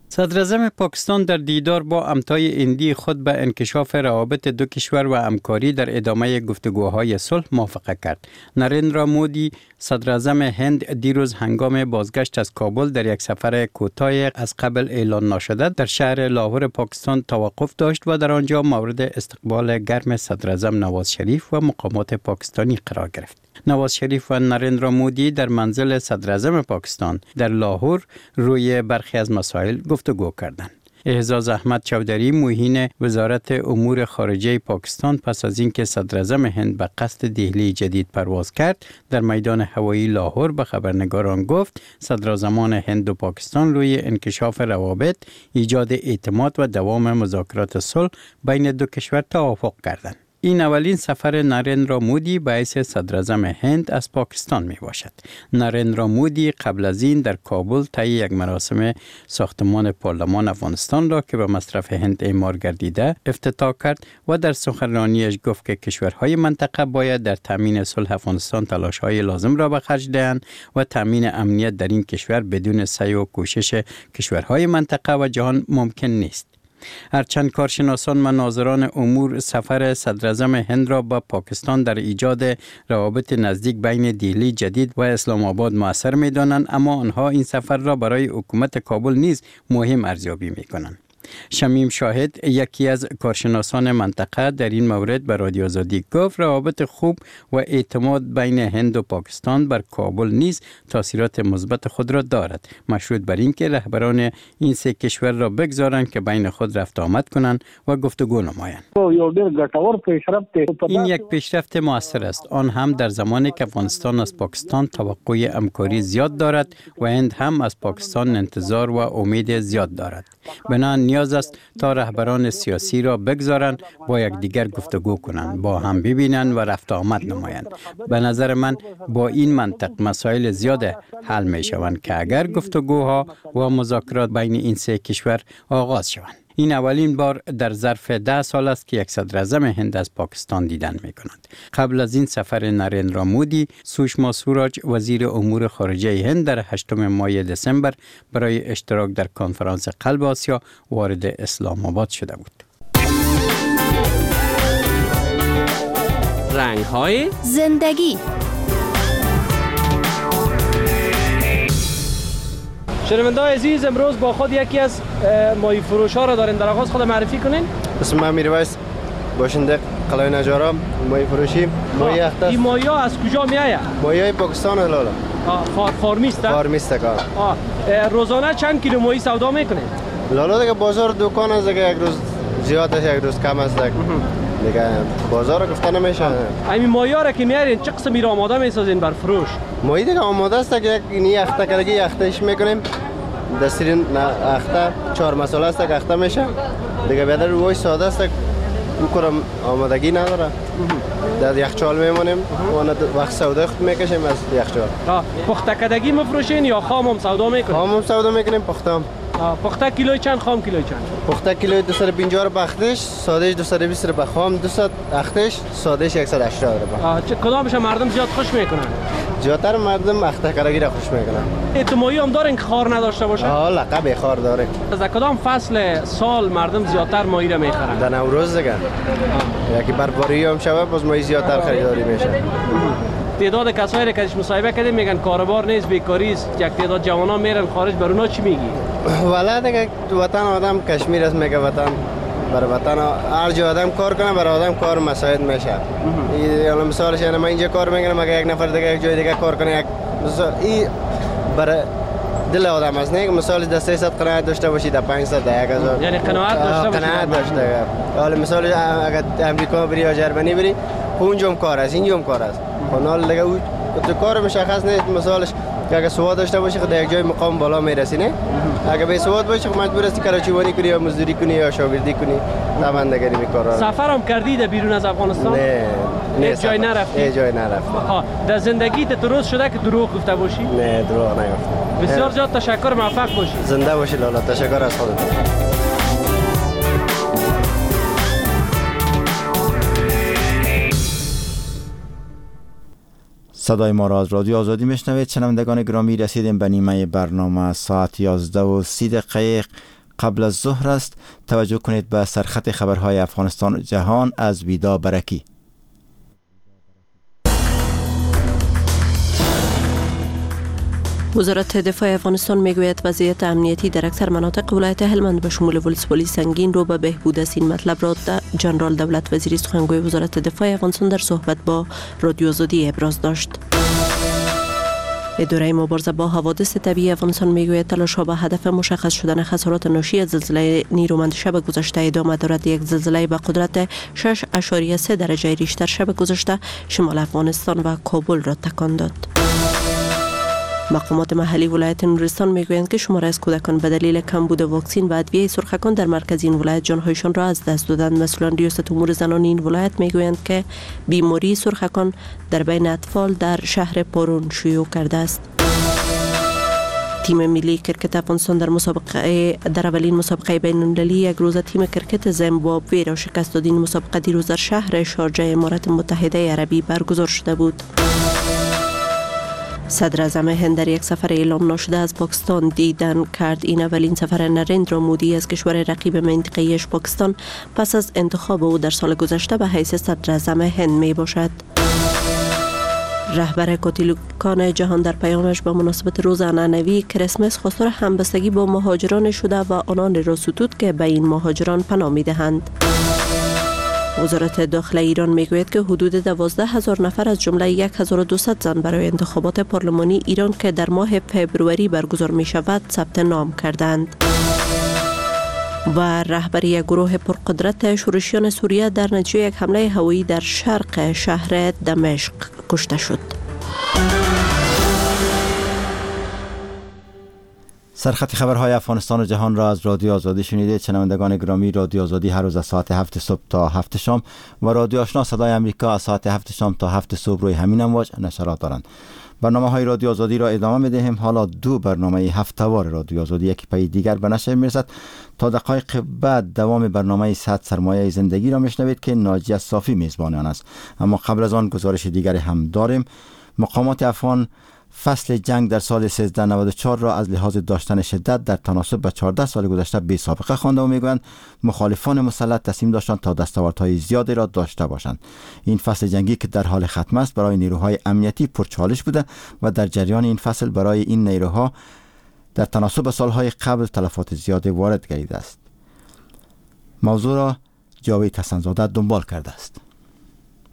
صدراعظم پاکستان در دیدار با همتای هندی خود به انکشاف روابط دو کشور و همکاری در ادامه گفتگوهای صلح موافقه کرد. نریندرا مودی صدراعظم هند دیروز هنگام بازگشت از کابل در یک سفر کوتاه از قبل اعلان ناشده در شهر لاهور پاکستان توقف داشت و در آنجا مورد استقبال گرم صدراعظم نواز شریف و مقامات پاکستانی قرار گرفت. نواز شریف و نریندرا مودی در منزل صدراعظم پاکستان در لاهور روی برخی از مسائل گفتگو کردند. اعزاز احمد چودری معین وزارت امور خارجه پاکستان پس از اینکه صدراعظم هند به قصد دهلی جدید پرواز کرد در میدان هوایی لاهور به خبرنگاران گفت صدراعظمان هند و پاکستان روی انکشاف روابط، ایجاد اعتماد و دوام مذاکرات صلح بین دو کشور توافق کردند. این اولین سفر نریندرا مودی به حیث صدراعظم هند از پاکستان می باشد. نریندرا مودی قبل از این در کابل طی یک مراسم ساختمان پارلمان افغانستان را که به مصرف هند اعمار گردیده افتتاح کرد و در سخنرانیش گفت که کشورهای منطقه باید در تامین صلح افغانستان تلاش‌های لازم را به خرج دهند و تامین امنیت در این کشور بدون سعی و کوشش کشورهای منطقه و جهان ممکن نیست. هرچند کارشناسان و ناظران امور سفر صدراعظم هند را به پاکستان در ایجاد روابط نزدیک بین دهلی جدید و اسلام آباد مؤثر می دانند، اما آنها این سفر را برای حکومت کابل نیز مهم ارزیابی می کنند. شمیم شاهد، یکی از کارشناسان منطقه، در این مورد به رادیو آزادی گفت روابط خوب و اعتماد بین هند و پاکستان بر کابل نیز تاثیرات مثبت خود را دارد، مشروط بر اینکه رهبران این سه کشور را بگذارند که بین خود رفت آمد کنند و گفتگو نمایند. این یک پیشرفت موثر است، آن هم در زمانی که افغانستان از پاکستان توقع همکاری زیاد دارد و هند هم از پاکستان انتظار و امید زیاد دارد. بنا نیاز است تا رهبران سیاسی را بگذارند با یکدیگر گفتگو کنند، با هم ببینند و رفت آمد نمایند. به نظر من با این منطق مسائل زیاد حل می شوند که اگر گفتگوها و مذاکرات بین این سه کشور آغاز شوند. این اولین بار در ظرف ده سال است که یک صدراعظم هند از پاکستان دیدن می کند. قبل از این سفر نریندرا مودی، سوشما سوراج وزیر امور خارجه هند در هشتم ماه دسامبر برای اشتراک در کنفرانس قلب آسیا وارد اسلام آباد شده بود. رنگ های زندگی. شنونده‌های عزیز، امروز با خود یکی از ماهی فروش ها را داریم. در آغاز خود معرفی کنین. اسم من میرویس، باشنده قلعه نجارا، ماهی فروشی. ماهی اخته. این ماهی ها از کجا می آید؟ ماهی های پاکستان لالا. فار فارمیست؟ فارمیست کار. روزانه چند کیلو ماهی سودا میکنید؟ لالا دیگه بازار دکان است دیگه، یک روز زیاد است یک روز کم است دیگه، بازار گفته نمیشه. همین ماهی ها را که میارین چه قسمی را آماده میسازین بر فروش؟ ماهی دیگه آماده است که یک اینی اخته کردگی اختهش میکنیم، دسترین اخته چهار مساله است که اخته میشه دیگه. بیادر روی ساده است، او کرم آمادگی نداره، در یخچال میمونیم و وقت سودا خود میکشیم از یخچال. پخته کردگی مفروشین یا خام هم سودا میکنیم؟ خام هم سودا میکنیم، پخته هم. پخته کیلوی چند، خام کیلوی چند؟ پخته کیلوی دویست و پنجاه روپیه اختش، سادهش دویست و بیست روپیه، خام دویست اختش، سادهش صد و هشتاد روپیه. چه کدامش مردم زیاد خوش میکنن؟ زیادتر مردم اخته کردگی را خوش میکنن. اعتمادی هم دارین که خار نداشته باشه؟ آه لقب خار داره. از کدام فصل سال مردم زیادتر ماهی را میخرن؟ در نوروز دیگه. یکی برباری هم شوه باز ماهی زیادتر خریداری میشه. تعداد کسایی که مصاحبه کردیم میگن کاروبار نیست، بیکاری است، یک تعداد جوانان میرن خارج، بر اونا چی میگی؟ والا دیگه وطن آدم کشمیر است، میگه وطن برای وطن هر جا آدم کار کنه برای آدم کار مساعد میشه. یعنی مثالش یعنی من اینجا کار میکنم، اگه یک نفر دیگه یک جای دیگه کار کنه، یک مثال این برای دل آدم است. نه مثال در سیصد قناعت داشته باشی، در پانصد، در هزار، یعنی قناعت داشته باشی. قناعت داشته. حالا مثال اگه امریکا بری یا جرمنی بری، اونجا هم کار است، اینجا هم کار است. حالا دیگه او تو کار مشخص نیست. مثالش اگه سواد داشته باشی خود یک جای مقام بالا میرسی، نه؟ اگه بی سواد باشی خب مجبور هستی کراچیوانی کنی یا مزدوری کنی یا شاگردی کنی. طبعا دیگه این کارا. سفرم کردی در بیرون از افغانستان؟ نه نه، جای نرفتی؟ نه، جای نرفتی. ها، در زندگی ت درست شده که دروغ گفته باشی؟ نه، دروغ نگفتم. بسیار زیاد تشکر، موفق باشی. زنده باشی لالا، تشکر از خودت. صدای ما را از رادیو آزادی میشنوید. شنوندگان گرامی، رسیدیم به نیمه برنامه. ساعت یازده و سی دقیقه قبل از ظهر است. توجه کنید به سرخط خبرهای افغانستان و جهان از ویدا برکی. وزارت دفاع افغانستان میگوید وضعیت امنیتی در اکثر مناطق ولایت هلمند به شمول ولسوالی سنگین رو به بهبود است. این مطلب را جنرال دولت وزیری سخنگوی وزارت دفاع افغانستان در صحبت با رادیو آزادی ابراز داشت. اداره مبارزه با حوادث طبیعی افغانستان میگوید تلاش‌ها به هدف مشخص شدن خسارات ناشی از زلزله نیرومند شب گذشته ادامه دارد. یک زلزله به قدرت شش اعشاریه سه درجه ریشتر شب گذشته شمال افغانستان و کابل را تکان داد. مقامات محلی ولایت نورستان میگویند که شماری از کودکان به دلیل کمبود واکسن و ادویه سرخکان در مرکز این ولایت جانهایشان را از دست دادند. مسئولان ریاست امور زنان این ولایت میگویند که بیماری سرخکان در بین اطفال در شهر پارون شیوع کرده است. تیم ملی کرکت افغانستان در مسابقه در اولین مسابقه بین‌المللی یک روزه تیم کرکت زیمبابوه را شکست داد. این مسابقه دیروز در شهر شارجه امارات متحده عربی برگزار شده بود. صدر اعظم هند در یک سفر اعلام ناشده از پاکستان دیدن کرد. این اولین سفر نریندرا مودی از کشور رقیب منطقه‌ایش پاکستان پس از انتخاب او در سال گذشته به حیث صدر اعظم هند می باشد. رهبر کاتولیکان جهان در پیامش به مناسبت روز عنعنوی کریسمس خواستار همبستگی با مهاجران شده و آنان را ستود که به این مهاجران پناه می‌دهند. وزارت داخله ایران میگوید که حدود دوازده هزار نفر از جمله یک هزار و دویست زن برای انتخابات پارلمانی ایران که در ماه فبروری برگزار می شود ثبت نام کردند. و رهبری یک گروه پرقدرت شورشیان سوریه در نتیجه یک حمله هوایی در شرق شهر دمشق کشته شد. سرخط خبرهای افغانستان و جهان را از رادیو آزادی شنیدید. شنوندگان گرامی، رادیو آزادی هر روز از ساعت هفت صبح تا هفت شام و رادیو آشنا صدای آمریکا از ساعت هفت شام تا هفت صبح روی همین امواج نشرات دارند. برنامه های رادیو آزادی را ادامه می‌دهیم. حالا دو برنامه هفته‌وار رادیو آزادی یکی پی دیگر به نشر می‌رسد. تا دقایق بعد دوام برنامه صد سرمایه زندگی را میشنوید که ناجیه صافی میزبان آن است. اما قبل از آن گزارش دیگری هم داریم. مقامات افغان فصل جنگ در سال سیزده نود و چهار را از لحاظ داشتن شدت در تناسب به چهارده سال گذشته بی سابقه خوانده و میگویند مخالفان مسلح تصمیم داشتند تا دستاوردهای زیادی را داشته باشند. این فصل جنگی که در حال ختم است برای نیروهای امنیتی پرچالش بوده و در جریان این فصل برای این نیروها در تناسب سالهای قبل تلفات زیادی وارد گردیده است. موضوع را جاوید حسن‌زاده دنبال کرده است.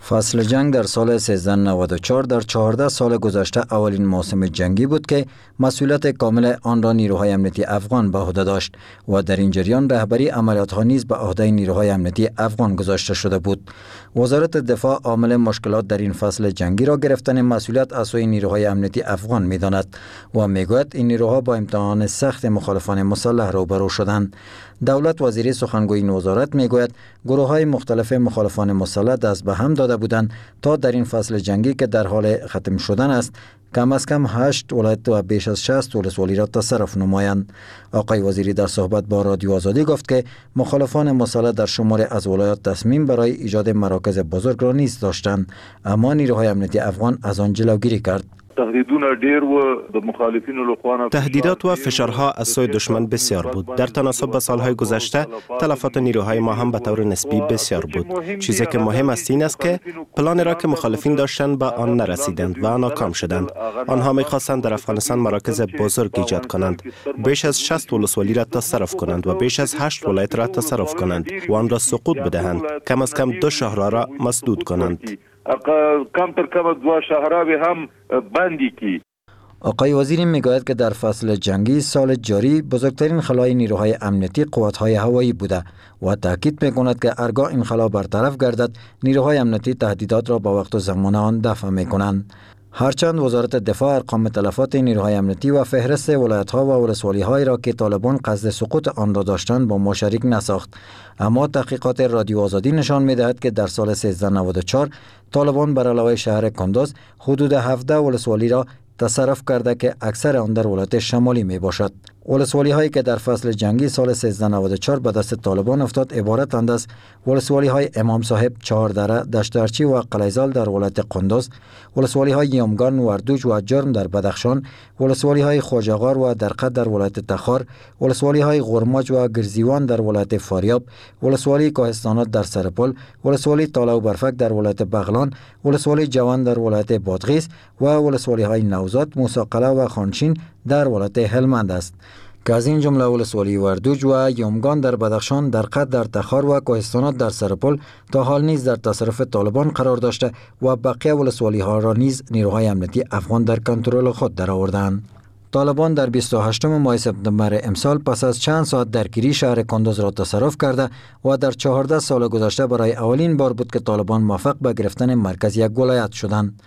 فصل جنگ در سال سیزده نود و چهار در چهارده سال گذشته اولین موسم جنگی بود که مسئولیت کامل آن را نیروهای امنیتی افغان به عهده داشت و در این جریان رهبری عملیات‌ها نیز به عهده نیروهای امنیتی افغان گذاشته شده بود. وزارت دفاع عامل مشکلات در این فصل جنگی را گرفتن مسئولیت از سوی نیروهای امنیتی افغان می‌داند و می‌گوید این نیروها با امتحان سخت مخالفان مسلح روبرو شدند. دولت وزیری سخنگوی این وزارت میگوید گروه‌های مختلف مخالفان مسلح دست به هم داده بودند تا در این فصل جنگی که در حال ختم شدن است کم از کم هشت ولایت و بیش از شصت ولسوالی را تصرف نمایند. آقای وزیری در صحبت با رادیو آزادی گفت که مخالفان مسلح در شمار از ولایات تصمیم برای ایجاد مراکز بزرگ را نیز داشتند، اما نیروهای امنیتی افغان از آن جلوگیری کرد. تهدیدات و فشارها از سوی دشمن بسیار بود. در تناسب با سالهای گذشته تلفات نیروهای ما هم به طور نسبی بسیار بود. چیزی که مهم است این است که پلان را که مخالفین داشتند به آن نرسیدند و ناکام شدند. آنها می‌خواستند در افغانستان مراکز بزرگ ایجاد کنند، بیش از شصت ولسوالی را تصرف کنند و بیش از هشت ولایت را تصرف کنند و آن را سقوط بدهند، کم از کم دو شهر را مسدود کنند. کم تر کم دو شهراوی هم بندی کی. آقای وزیری میگوید که در فصل جنگی سال جاری بزرگترین خلای نیروهای امنیتی قوت‌های هوایی بوده و تاکید میکند که ارگاه این خلا برطرف گردد نیروهای امنیتی تهدیدات را با وقت و زمان آن دفع میکنند. هرچند وزارت دفاع ارقام تلفات نیروهای امنیتی و فهرست ولایت‌ها و ولسوالی‌هایی را که طالبان قصد سقوط آن را داشتند با ما شریک نساخت، اما تحقیقات رادیو آزادی نشان می‌دهد که در سال سیزده نود و چهار طالبان بر علاوه شهر کندوز حدود هفده ولسوالی را تصرف کرده که اکثر آن در ولایت شمالی می باشد. ولسوالی هایی که در فصل جنگی سال سیزده نود و چهار به دست طالبان افتاد عبارتند از ولسوالی های امام صاحب، چهاردره، دشترچی و قلیزال در ولایت قندوز، ولسوالی های یامگان، وردوج و جرم در بدخشان، ولسوالی های خواجه‌غار و درقه در ولایت تخار، ولسوالی های غرماج و گرزیوان در ولایت فاریاب، ولسوالی کوهستانات در سرپل، ولسوالی تاله و برفک در ولایت بغلان، ولسوالی جوان در ولایت بادغیس و ولسوالی های نوزاد، موسی قلعه و خانشین در ولایت هلمند است که از این جمله ولسوالی وردوج و یامگان در بدخشان، درقه در تخار و کوهستانات در سرپل تا حال نیز در تصرف طالبان قرار داشته و بقیه ولسوالی ها را نیز نیروهای امنیتی افغان در کنترل خود درآوردند. طالبان در بیست و هشتم ماه سپتامبر امسال پس از چند ساعت درگیری شهر کندوز را تصرف کرده و در چهارده سال گذشته برای اولین بار بود که طالبان موفق به گرفتن مرکز یک ولایت شدند.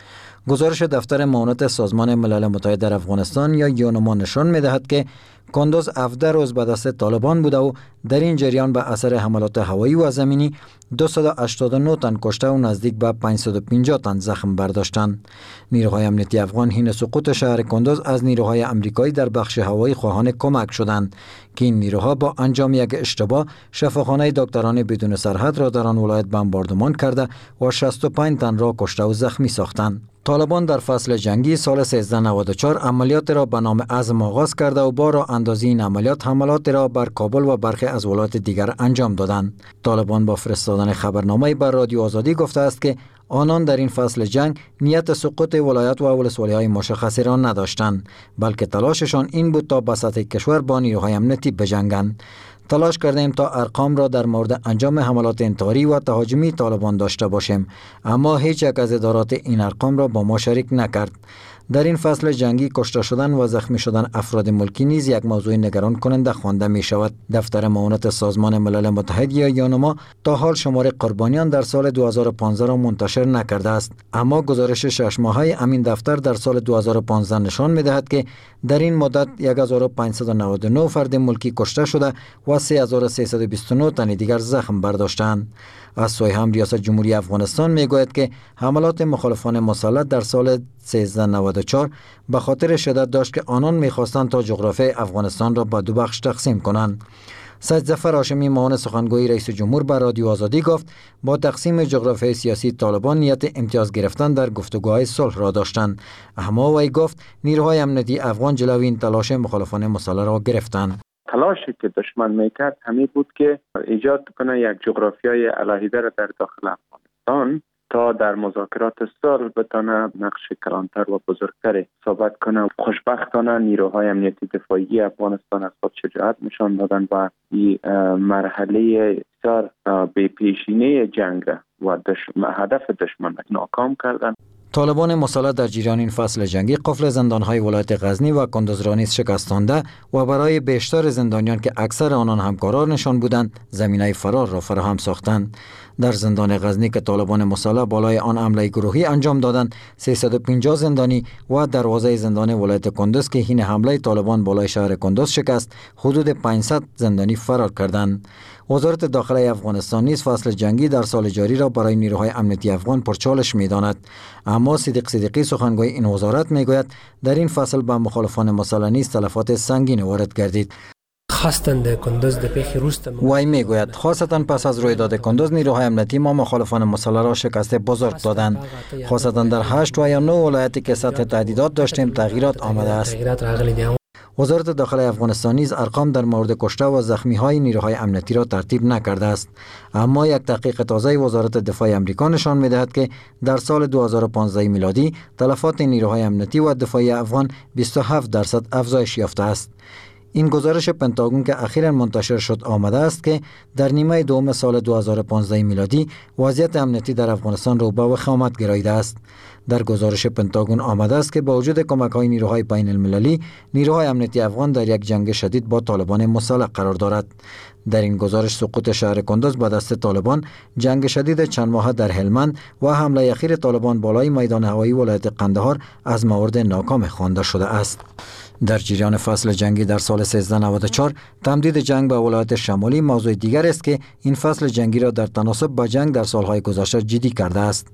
گزارش دفتر معاونت سازمان ملل متحد در افغانستان یا یونما نشان می‌دهد که کندوز هفده روز به دست طالبان بوده و در این جریان به اثر حملات هوایی و زمینی دویست و هشتاد و نه تن کشته و نزدیک به پانصد و پنجاه تن زخم برداشتند. نیروهای امنیتی افغان حین سقوط شهر کندوز از نیروهای امریکایی در بخش هوایی خواهان کمک شدند که این نیروها با انجام یک اشتباه شفاخانه دکتران بدون سرحد را در آن ولایت بمباردمان کرده و شصت و پنج تن را کشته و زخمی ساختند. طالبان در فصل جنگی سال سیزده نود و چهار عملیات را به نام عزم آغاز کرده و با راه اندازی این عملیات حملات را بر کابل و برخی از ولایات دیگر انجام دادند. طالبان با فرستادن خبرنامه بر رادیو آزادی گفته است که آنان در این فصل جنگ نیت سقوط ولایت و ولسوالی‌های مشخصی را نداشتند، بلکه تلاششان این بود تا به سطح کشور با نیروهای امنیتی بجنگند. تلاش کردیم تا ارقام را در مورد انجام حملات انتحاری و تهاجمی طالبان داشته باشیم، اما هیچ یک از ادارات این ارقام را با ما شریک نکرد. در این فصل جنگی کشته شدن و زخمی شدن افراد ملکی نیز یک موضوع نگران کننده خوانده می شود. دفتر معاونت سازمان ملل متحد یا یونما تا حال شمار قربانیان در سال دو هزار و پانزده را منتشر نکرده است، اما گزارش شش ماهه امین دفتر در سال دو هزار و پانزده نشان می دهد که در این مدت هزار و پانصد و نود و نه فرد ملکی کشته شده و سه هزار و سیصد و بیست و نه تن دیگر زخم برداشتند. از سوی هم ریاست جمهوری افغانستان می گوید که حملات مخالفان مسلح در سال سیزده نود و چهار به خاطر شدت داشت که آنان می‌خواستند تا جغرافیای افغانستان را به دو بخش تقسیم کنند. سید ظفر هاشمی معاون سخنگوی رئیس جمهور بر رادیو آزادی گفت با تقسیم جغرافیای سیاسی طالبان نیت امتیاز گرفتن در گفتگوهای صلح را داشتند، اما وی گفت نیروهای امنیتی افغان جلوی این تلاش مخالفان مسلح را گرفتند. تلاشی که دشمن میکرد همین بود که ایجاد کنه یک جغرافیای علیحده را در داخل افغانستان تا در مذاکرات صلح بتانه نقش کلانتر و بزرگتر ثابت کنه. خوشبختانه نیروهای امنیتی دفاعی افغانستان از خود شجاعت نشان دادن و این مرحله بسیار بی پیشینه جنگ و دشمن، هدف دشمن ناکام کردن. طالبان مسلح در جریان این فصل جنگی قفل زندان‌های ولایت غزنی و کندوز را نیز شکستانده و برای بیشتر زندانیان که اکثر آنان همکارانشان بودند زمینه فرار را فراهم ساختند. در زندان غزنی که طالبان مسلح بالای آن حمله گروهی انجام دادند سیصد و پنجاه زندانی و دروازه زندان ولایت کندوز که حین حمله طالبان بالای شهر کندوز شکست حدود پانصد زندانی فرار کردند. وزارت داخله افغانستان نیز فصل جنگی در سال جاری را برای نیروهای امنیتی افغان پرچالش می‌داند، اما صدیق صدیقی سخنگوی این وزارت می‌گوید در این فصل به مخالفان مسلح نیز تلفات سنگین وارد گردید. وی میگوید خاصتا پس از رویداد کندوز نیروهای امنیتی ما مخالفان مسلح را شکست بزرگ دادند، خاصتا در هشت و یا نه ولایتی که سطح تهدیدات داشتیم تغییرات آمده است. وزارت داخله افغانستان نیز ارقام در مورد کشته و زخمی های نیروهای امنیتی را ترتیب نکرده است، اما یک تحقیق تازه وزارت دفاع امریکا نشان می‌دهد که در سال دو هزار و پانزده میلادی تلفات نیروهای امنیتی و دفاعی افغان بیست و هفت درصد افزایش یافته است. این گزارش پنتاگون که اخیراً منتشر شد آمده است که در نیمه دوم سال دو هزار و پانزده میلادی وضعیت امنیتی در افغانستان رو به وخامت گراییده است. در گزارش پنتاگون آمده است که با وجود کمک‌های نیروهای بین المللی، نیروهای امنیتی افغان در یک جنگ شدید با طالبان مسلح قرار دارد. در این گزارش سقوط شهر کندز به دست طالبان، جنگ شدید چند ماهه در هلمند و حمله اخیر طالبان بالای میدان هوایی ولایت قندهار از موارد ناکام خوانده شده است. در جریان فصل جنگی در سال سیزده نود و چهار تمدید جنگ به ولایت شمالی موضوع دیگر است که این فصل جنگی را در تناسب با جنگ در سالهای گذشته جدی کرده است.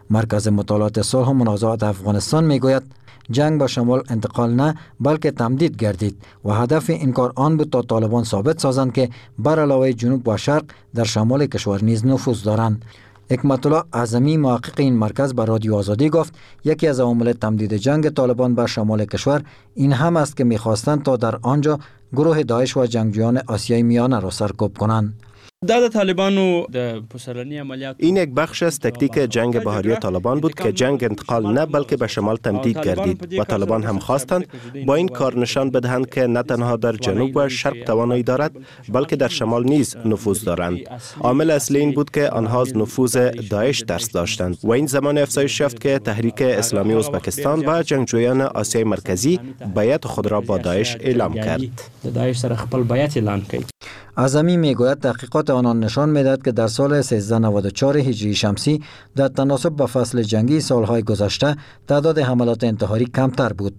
مرکز مطالعات صلح و منازعات افغانستان میگوید جنگ به شمال انتقال نه بلکه تمدید گردید و هدف این کار آن بود تا طالبان ثابت سازند که بر علاوه جنوب و شرق در شمال کشور نیز نفوذ دارند. حکمت الله اعظمی محقق این مرکز به رادیو آزادی گفت یکی از عوامل تمدید جنگ طالبان به شمال کشور این هم است که می‌خواستند تا در آنجا گروه داعش و جنگجویان آسیای میانه را سرکوب کنند. این یک بخش از تکتیک جنگ بهاری طالبان بود که جنگ انتقال نه بلکه به شمال تمدید گردید و طالبان هم خواستند با این کار نشان بدهند که نه تنها در جنوب و شرق توانایی دارد بلکه در شمال نیز نفوذ دارند. عامل اصلی این بود که آنها از نفوذ داعش ترس داشتند و این زمان افزایش یافت که تحریک اسلامی ازبکستان و جنگجویان آسیای مرکزی بیعت خود را با داعش اعلام کرد. اعظمی میگوید تحقیقات آنان نشان میدهد که در سال سیزده نود و چهار هجری شمسی در تناسب با فصل جنگی سالهای گذشته تعداد حملات انتحاری کمتر بود.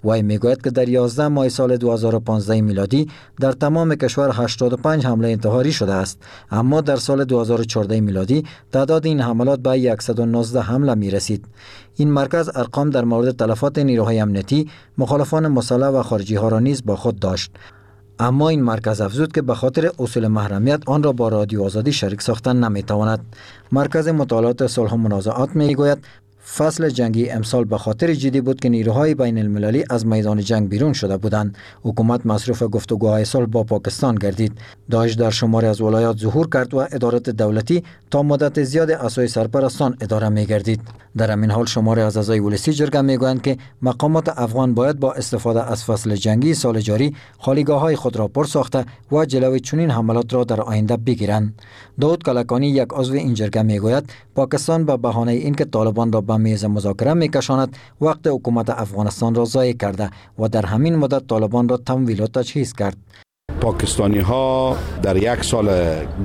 وی میگوید که در یازده ماه سال دو هزار و پانزده میلادی در تمام کشور هشتاد و پنج حمله انتحاری شده است، اما در سال دو هزار و چهارده میلادی تعداد این حملات به صد و نوزده حمله می رسید. این مرکز ارقام در مورد تلفات نیروهای امنیتی، مخالفان مسلح و خارجی ها را نیز با خود داشت. اما این مرکز افزود که به خاطر اصول محرمیت آن را با رادیو آزادی شریک ساختن نمیتواند. مرکز مطالعات صلح و منازعات میگوید فصل جنگی امسال به خاطر جدی بود که نیروهای بین المللی از میدان جنگ بیرون شده بودند. حکومت مصروف گفتگوهای صلح با پاکستان گردید. داعش در شماری از ولایات ظهور کرد و ادارات دولتی تا مدت زیاد عصای سرپرستان اداره می گردید. در همین حال شماری از اعضای ولسی جرگه می گویند که مقامات افغان باید با استفاده از فصل جنگی سال جاری خالیگاه های خود را پر ساخته و جلوی چنین حملات را در آینده بگیرند. داود کلکانی یک عضو این جرگه می گوید پاکستان به بهانه اینکه طالبان را به میز مذاکره میکشاند وقت حکومت افغانستان را ضایع کرده و در همین مدت طالبان را تمویل و تجهیز کرد. پاکستانی ها در یک سال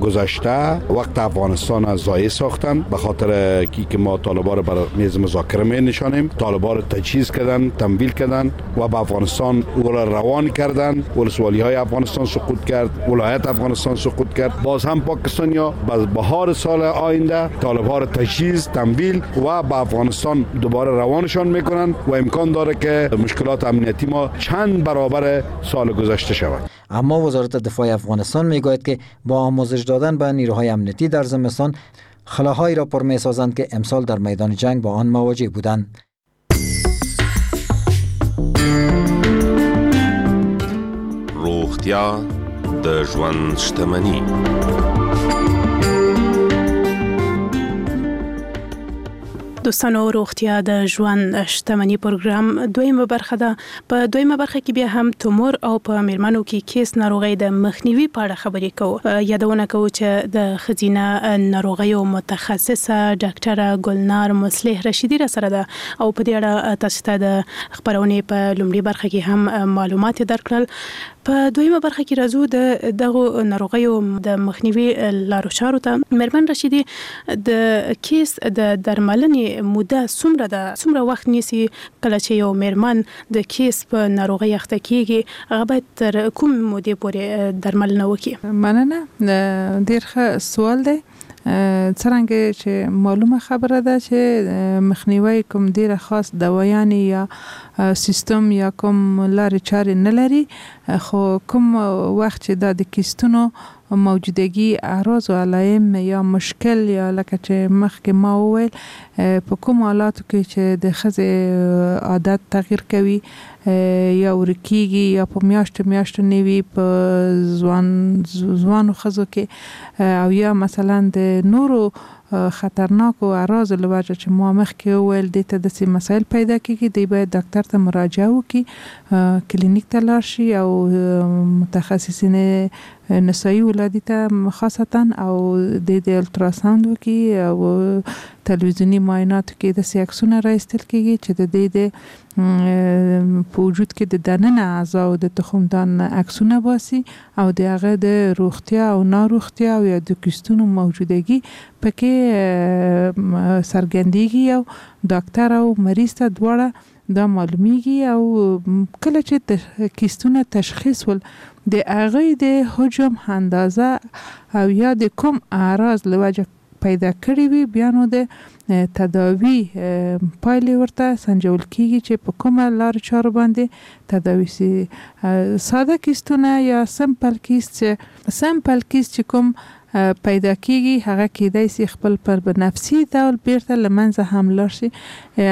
گذشته وقت افغانستان را ضایع ساختن به خاطر که ما طالبان را بر میز مذاکره می نشانیم. طالبان را تجهیز کردن، تمویل کردن و به افغانستان او را روان کردن. ولسوالی های افغانستان سقوط کرد، ولایت افغانستان سقوط کرد. باز هم پاکستانی ها باز بهار سال آینده طالبان را تجهیز، تمویل و به افغانستان دوباره روانشان میکنن و امکان داره که مشکلات امنیتی ما چند برابر سال گذشته شود. اما وزارت دفاع افغانستان میگوید که با آموزش دادن به نیروهای امنیتی در زمستان خلاهایی را پر میسازند که امسال در میدان جنگ با آن مواجه بودند. روغتیا د ژوند شتمني. دوستانو روغتیا د ژوند شتمني پروګرام دویمه برخه ده. په دویمه برخه کې بیا هم تومور او په میرمنو کې کیس ناروغۍ د مخنیوي په اړه خبرې کوو. یادونه کوو چې د ښځینه ناروغیو متخصصه ډاکټره ګلنار مصلح رشیدي را سره ده او په دې اړه تاسو ته د خپرونې په لومړي برخه کې هم معلومات درکړل. په دویمه برخه کې راځو د دغو ناروغیو د مخنیوي لارو چارو ته. میرمن رشیدي، د کیس د درملنې موده څومره ده؟ څومره وخت نیسي کله چې یو میرمن د کیس په ناروغۍ اخته کیږي هغه باید تر کوم مودې پورې درملنه وکړي؟ مننه، ډېر ښه سوال دی. څرنګه چې معلومه خبره ده چې مخنیوي کوم ډیره خاص دوایانې یا سیستم یا کوم لارې چارې نه لري، خو کوم وخت چې دا د کیستونو موجودګي اعراض و علایم یا مشکل یا لکه چې مخکې ما وویل په کوم حالاتو کې چې د ښځې عادت تغییر کوي یا ورکیږي یا په میاشتو میاشتو نه وي په ځوان ځوانو ښځو کې او یا مثلا د نورو خطرناکو اعراضو له وجه چې ما مخکې وویل دې ته داسې مسایل پیدا کیږي، دی باید ډاکټر ته مراجعه وکړي، کلینیک ته لاړ شي او متخصصین نسایي ولادي ته خاصتا او د د الټراساوند وکړي او تلویزیوني معایناتو کې داسې عکسونه را ایستل کیږي چې د دې د په وجود کې د دننه اعضاو د تخمدان عکسونه باسي او د هغه د روغتیا او ناروغتیا او یا د کیستونو موجودګي پکې څرګندیږي او ډاکټر او مریض ته دواړه دا معلومیږي. او کله چې کیستونه تشخیص ول د هغې د حجم اندازه او یا د کوم اعراض له وجه پیدا کړی وي، بیا نو د تداوی پایلې ورته سنجول کیږي چې په کومه لار چارو باندې تداوی سي. ساده کیستونه یا simple کیست چې simple کیست چې کوم پیدا کیږي هغه کیدای سي خپل پر نفسي ډول بیرته له منځه هم لاړ شي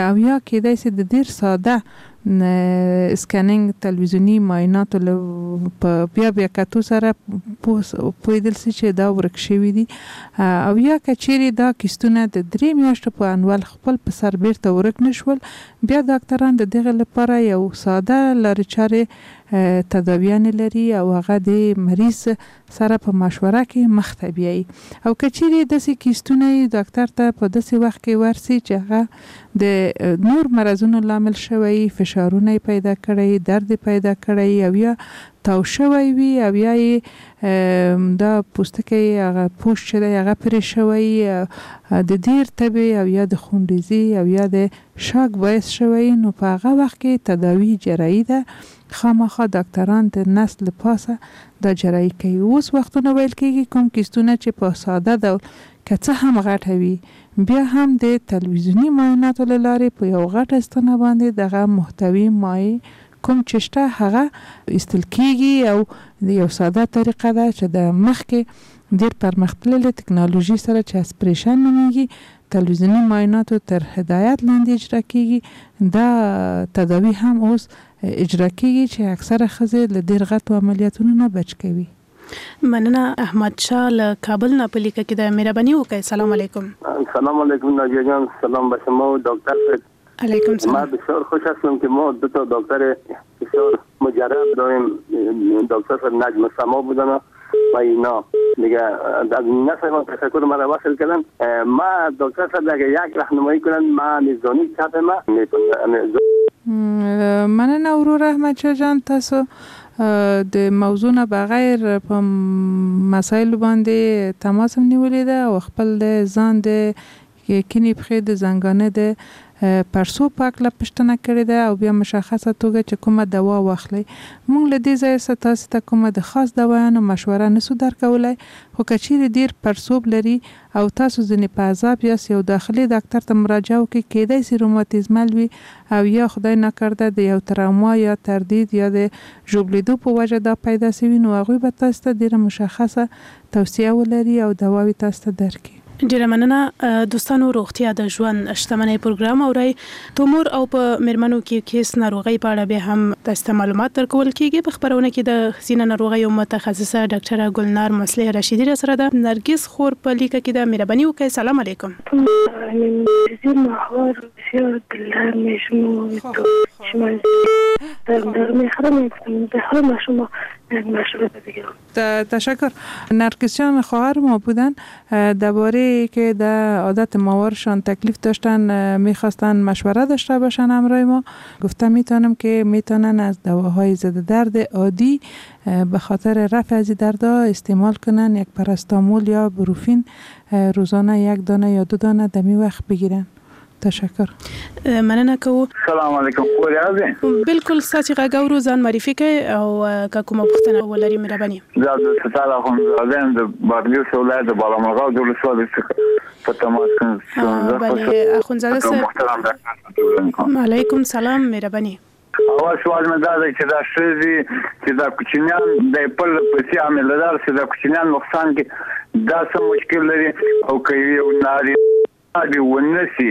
او یا کیدای سي د ډیر ساده scanning تلویزیوني معایناتو له په بیا بیا کتو سره پوهېدل سي چې دا ورک شوي دي. او یا که چیرې دا کیستونه د درې میاشتو په انډول خپل په سر بیرته ورک نه شول، بیا ډاکټران د دغه لپاره یو ساده لارې چارې تداویانې لري او هغه د مریض سره په مشوره کې مخته بیایي. او که چیرې داسې کیستونه یې ډاکټر ته په داسې وخت کې ورسي چې هغه د نور مرضونو لامل شوی، فشارونه یې پیدا کړی، درد یې پیدا کړی او یا تاو شوی وي او یا یې دا پوستکی هغه پوښ چې دی هغه پرې شوی، د ډېر تبې او یا د خونریزي او یا د شاک باعث شوی، نو په هغه وخت کې تداوی جراحي ده. خامخا ډاکټران د نس له پاسه دا جراحي کوي. اوس وختونه ویل کیږي کوم کیستونه چې په ساده ډول که څه هم غټه وي بیا هم د تلویزیوني معایناتو له لارې په یو غټه ستنه باندې دغه محتوی مایع کوم چې شته هغه ایستل کیږي او یو ساده طریقه ده چې د مخکې ډېر پرمختللې تکنالوژي سره چې اسپریشن نومیږي تلویزیوني معایناتو تر هدایت لاندې اجرا کیږي. دا تداوی هم اوس اجرا کیږي چې اکثره ښځې له ډېر غټو عملیاتونو نه بچ کوي. مننه. احمد شاه له کابل نه په لیکه کې ده، مهرباني وکړئ. سلام علیکم. سلام علیکم ناجیه جان، سلام به شما و دکتر صاحب. علیکم سلام. ما بسیار خوش هستم که ما دو تا دکتر بسیار مجرب داریم، دکتر صاحب نجم سما بودن و اینا دیگه از نفر تشکر مرا وصل کردن. ما دکتر صاحب اگه یک راهنمایی کنن ما میزانی چپ ما مننه ورور احمد شاه جان، تاسو د موضوع نه بغیر په مسایلو باندې تماس هم نیولې ده او خپل د ځان د کینې پښې د زنګانه د پرسو په هکله پوښتنه کړې ده او بیا مشخصه توګه چې کومه دوا واخلئ. موږ له دې ځایه څخه تاسو ته کومه د خاص دوایانو مشوره نسو درکولی، خو که چیرې ډېر پرسوب لري او تاسو ځینې په عذاب یاست یو داخلي ډاکټر ته مراجعه وکړئ. کیدای سي روماتیزمل وي او یا خدای ناکرده د یو تراما یا تردید یا د ژوبلېدو په وجه دا پیدا سوي، نو هغوی به تاسو ته ډېره مشخصه توصیه ولري او دواوې تاسو ته درکړي. ډیره مننه دوستانو. روغتیا د ژوند شتمنۍ پروګرام اورئ. تومور او په میرمنو کې کیس ناروغۍ په اړه به هم تاسو ته معلومات درکول کیږي. په خپرونه کې د ښځینه ناروغیو متخصصه ډاکټره ګلنار مصلح رشیدي را سره ده. نرګس خور په لیکه کې ده، مهرباني وکړئ. سلام علیکم. تشکر. نرگس جان خواهر ما بودن، درباره که در عادت ماوارشان تکلیف داشتن میخواستن مشوره داشته باشن همراه ما. گفتم میتونم که میتونن از دواهای ضد درد عادی به خاطر رفع از دردها استعمال کنن، یک پاراستامول یا بروفین روزانه یک دانه یا دو دانه دمی وخت بگیرن. تشکر. مننه کوو. سلام علیکم. خور یاست؟ بالکل. ستاسو غږ اورو، ځان معرفي کړئ او که کومه پوښتنه ولرئ مهرباني. زه عبدالستار اخوندزاده یم، د بادغیس ولایت د بالامرغاب د ولسوالۍ څخه په تماس کې یم. بله اخوندزاده صاحب، علیکم سلام، مهرباني. اول سوال مې دا دی چې دا ښځې چې دا کوچنیان د خپل پسې حامله دار چې دا کوچنیان نقصان کې دا څه مشکل لري، او که یو نارینه دې ونه سي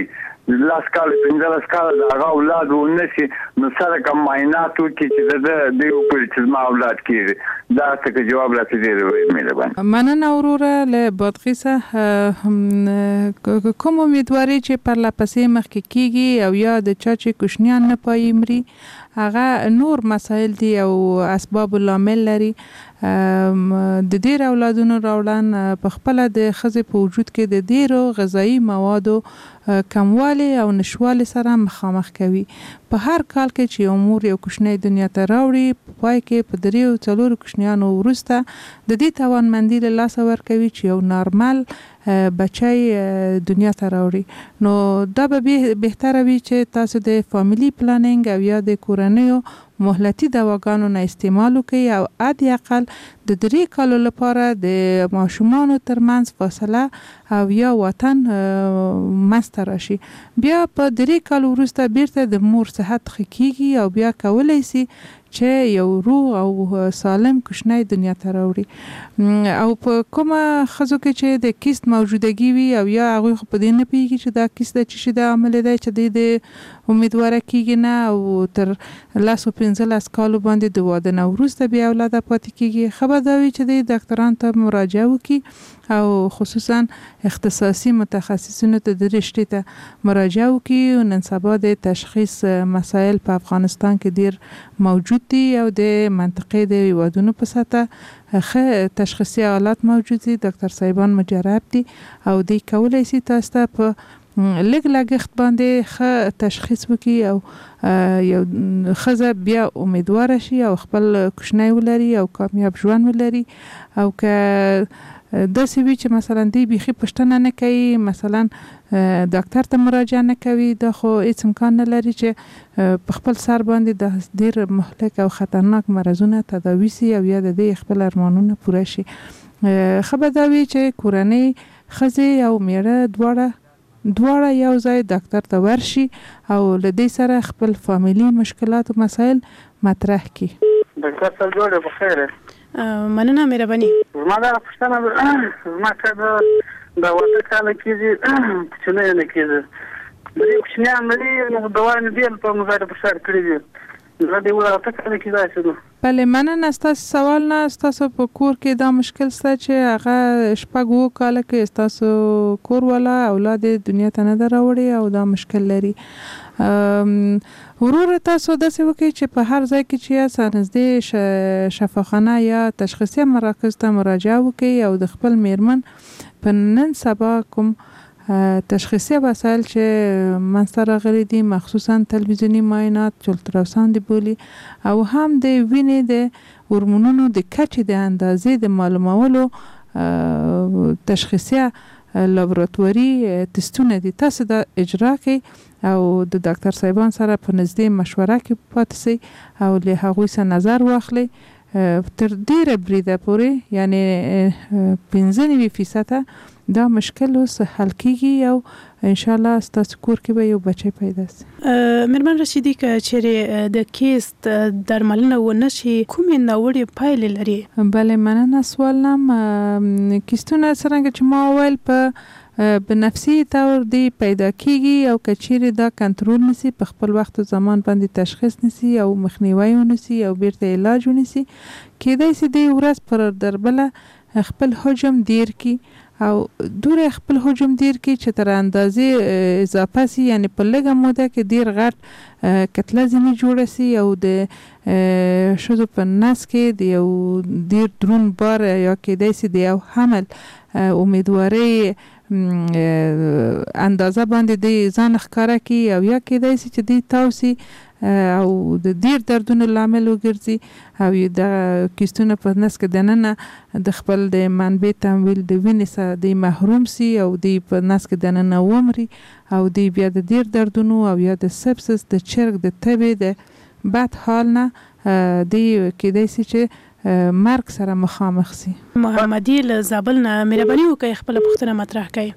لس کاله پنځلس کاله د هغه اولاد ونه شي، نو څه رقم معاینات وکړي چې د ده دوی وپوهېږي چې زما اولاد کېږي؟ دا څه که جواب راته ډېر مهرباني. مننه وروره له بادغیسه. کوم امیدواري چې پرله پسې مخکې کېږي او یا د چا چې کوچنیان نه پایي مري، هغه نور مسایل دي او اسباب لامل لري. د ډېر اولادونو راوړن په خپله د ښځې په وجود کې د ډېرو غذایي موادو کموالی او نشوالي سره مخامخ کوي. په هر کال کې چې یو مور یو کوچنی دنیا ته راوړي، په پای کې په دریو څلورو کوچنیانو وروسته د دې توانمندي له لاسه ورکوي چې یو نارمل بچی دنیا ته راوړي. نو دا به بهتره وي چې تاسو د family planning او یا د کورنیو مهلتي دواګانو نه استعمال وکړئ او حد اقل د درې کالو لپاره د ماشومانو ترمنځ فاصله او یا واټن منځته راشي. بیا په درې کالو وروسته بیرته د مور صحت ښه کیږي او بیا کولی سي چې یو روغ او سالم کوچنی دنیا ته راوړي. او په کومه ښځو کې چې د کیست موجودګي وي او یا هغوی خو په دې نه پوهېږي چې دا کیست د څه شي د عامل دی چې دوی د امیدواره کېږي نه، او تر لس او پنځلس کالو باندې د واده نه وروسته بې اولاده پاتې کېږي، ښه به دا وي چې دوی ډاکټرانو ته مراجعه وکړي او خصوصا اختصاصي متخصصینو ته د رشتې ته مراجعه وکړي. نن سبا د تشخیص مسایل په افغانستان کې ډېر موجود دي او د منطقې د هیوادونو په سطح ښه تشخیصي آلات موجود دي، ډاکټر صاحبان مجرب دي او دوی کولی سي تاسو ته په لږ لګښت باندې ښه تشخیص وکړي او یو ښځه بیا امیدواره شي او خپل کوچنی ولري او کامیاب ژوند ولري. او که داسې وي چې مثلا دوی بیخي پوښتنه نه کوي، مثلا ډاکټر ته مراجعه نه کوي، دا خو هیڅ امکان نه لري چې په خپل سر باندې د ډېر مهلک او خطرناک مرضونه تداوي سي او یا د دې خپل ارمانونه پوره شي. ښه به دا وي چې کورنۍ ښځې او مېړه دواړه دواړه یو ځای ډاکټر ته ورشي او له دې سره خپل فامیلي مشکلات او مسایل مطرح کړي. ډاکټر صاحب جوړ یې؟ په خیر. مننه، مهرباني. زما دا پوښتنه زما که د واده کاله کېږي کوچنی نه کېږي، درې کوچنیان لري، نو دوا مې ډېر په مزار په ښار کړي دي، زه دې اته کاله کېږي داسې نو. بله مننه ستاسو سوال نه. ستاسو په کور کې دا مشکل شته چې هغه شپږ اووه کاله کې ستاسو کور والا اولاد یې دنیا ته نه ده راوړې او دا مشکل لري. وروره تاسو داسې وکړئ چې په هر ځای کې چې یاست نږدې شفاخانه یا تشخیصي مراکز ته مراجعه وکړئ او د خپل میرمن په نن سبا کوم تشخیصي وسایل چې منځته راغلي دي، مخصوصا تلویزیوني معاینات چې الټراساوند بولي او هم د وینې د هورمونونو د کچې د اندازې د معلومولو تشخیصیه لابراتواري تستونه دي، تاسو دا اجرا کړئ او د ډاکټر صاحبان سره په نږدې مشوره کې پاتې سئ او له هغوی سره نظر واخلئ. تر ډېره بریده پورې یعنې پنځه نوي فیصده دا مشکل اوس حل کیږي او انشاءالله ستاسو کور کې به یو بچی پیدا سي. میرمن رشیدي، که چیرې د کیست درملنه ونه شي کومې ناوړې پایلې لري؟ بله مننه سوال نم. کیستونه څرنګه چې ما وویل په بنفسي طور دی پیدا کیږي او که چیرې دا کنټرول نسی، په خپل وخت او زمان باندې تشخیص نسی او مخنیوی ونسی او بیرته علاج ونسی، کیدای سي دی ورځ پر دربله خپل حجم ډیر کی او دوره خپل حجم ډیر کی چې تر اندازې اضافه سي، یعنی په لږه موده کې ډیر غټ کتله ځینې جوړه سي او د ښځو په نس کې د یو ډیر درون بار یا کیدای سي د یو حمل امیدوارۍ اندازه باندې دی ځان ښکاره کړي او یا کیدای سي چې دی تاو سي او د ډیر دردونو لامل وګرځي او د کیستونه په نس کې دننه د خپل د منبع تمویل د وینې څخه دی محروم سي او دی په نس کې دننه ومري او دی بیا د ډیر دردونو او یا د سپسس د چرګ د تبې د بد حال نه دی کیدای سي چې مرګ سره مخامخ سي. محمدي له زابل نه، مهرباني وکړئ خپله پوښتنه مطرح کړئ.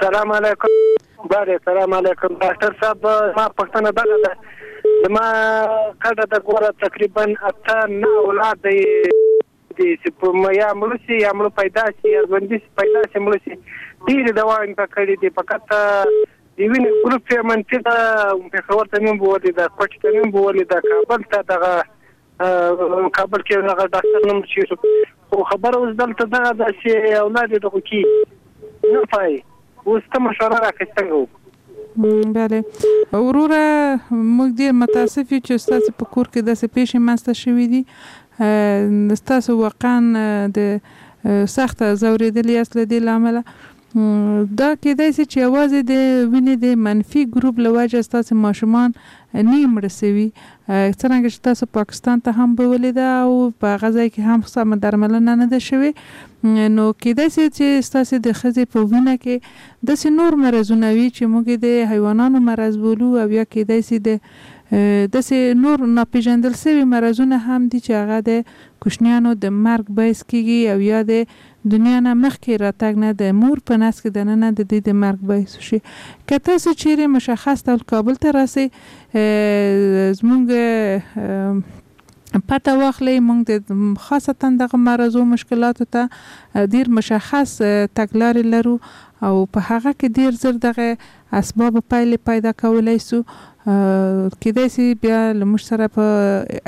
سلام علیکم. بله سلام علیکم ډاکټر صاحب، ما پوښتنه دغه ده، زما کډه د ګوره تقریبا اته نه اولاد دی چې یا مړه سي یا مړه پیدا سي یا ژوندي پیدا سي مړه سي، ډېرې دواوې مې په کړې دي، فقط د وینې ګروپ یې منفي ده، پېښور ته مې هم بوولې ده، کوټې ته مې هم بوولې ده، کابل ته دغه کابل کې دغه ډاکټر نوم چې خو خبره اوس دلته دغه ده چې اولاد یې دغه کېږي نه پای. اوس ته مشوره راکړې څنګه وکړو؟ بله وروره، موږ ډېر متاسف یو چې ستاسو په کور کې داسې پېښې منځته شوې دي. ستاسو واقعا د سخته ځورېدلي یاست له دې له امله. دا کېدای شي چې یوازې د وینې د منفي ګروپ له وجې ستاسو ماشومان نه مړه شوي، څرنګه چې تاسو پاکستان ته هم بولې ده او په هغه ځای کې هم سمه درملنه نه ده شوې، نو کېدای شي چې ستاسو د ښځې په وینه کې داسې نور مرضونه وي چې موږ د حیوانانو مرض بولو، او یا کېدای شي د داسې نور ناپېژندل شوي مرضونه هم دي چې هغه د کوچنیانو د مرګ باعث کېږي، او یا د دنیا نه مخکې راتګ نه د مور په نس کې دننه د دې د مرګ باعث شي. که تاسو چیرې مشخص ډول کابل ته راسئ، زموږ پته واخلئ، موږ د خاصتا دغه مرضو مشکلاتو ته ډیر مشخص تګلارې لرو او په هغه کې ډیر زر دغه اسباب پایلې پیدا کولی سو. کېدای شي بیا له موږ سره په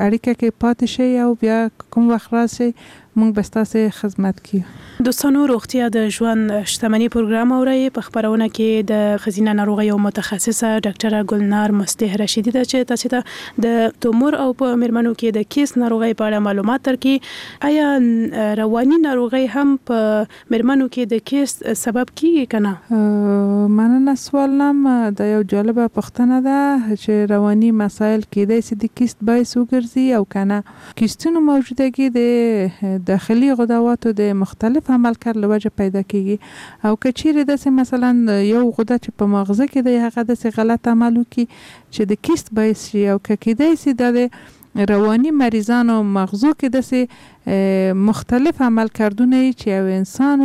اړیکه کې پاتې شئ او بیا کوم وخت راشئ موږ به ستاسې خدمت کړو. دوستانو، روغتیا د ژوند شتمني پروګرام اورئ. په خپرونه کې د ښځینه ناروغیو متخصصه ډاکټره ګلنار مصلح رشیدي ده چې تاسې ته د تومور او په میرمنو کې د کیس ناروغۍ په اړه معلومات درکړي. آیا رواني ناروغۍ هم په میرمنو کې د کیس سبب کیږي که نه؟ مننه سوال نم، دا یو جالبه پوښتنه ده چې رواني مسایل کېدای شي د کیست باعث وګرځي او که نه. کیستونو موجودګي د داخلي غدواتو د مختلف عملکرد له وجه پیدا کیږي، او که چیرې داسې مثلا یو غده چې په ماغزه کې دی هغه داسې غلط عمل وکړي چې د کیست باعث شي، او که کېدای شي دا د رواني مریضانو مغزو کې داسې مختلف عملکردونه یي چې یو انسان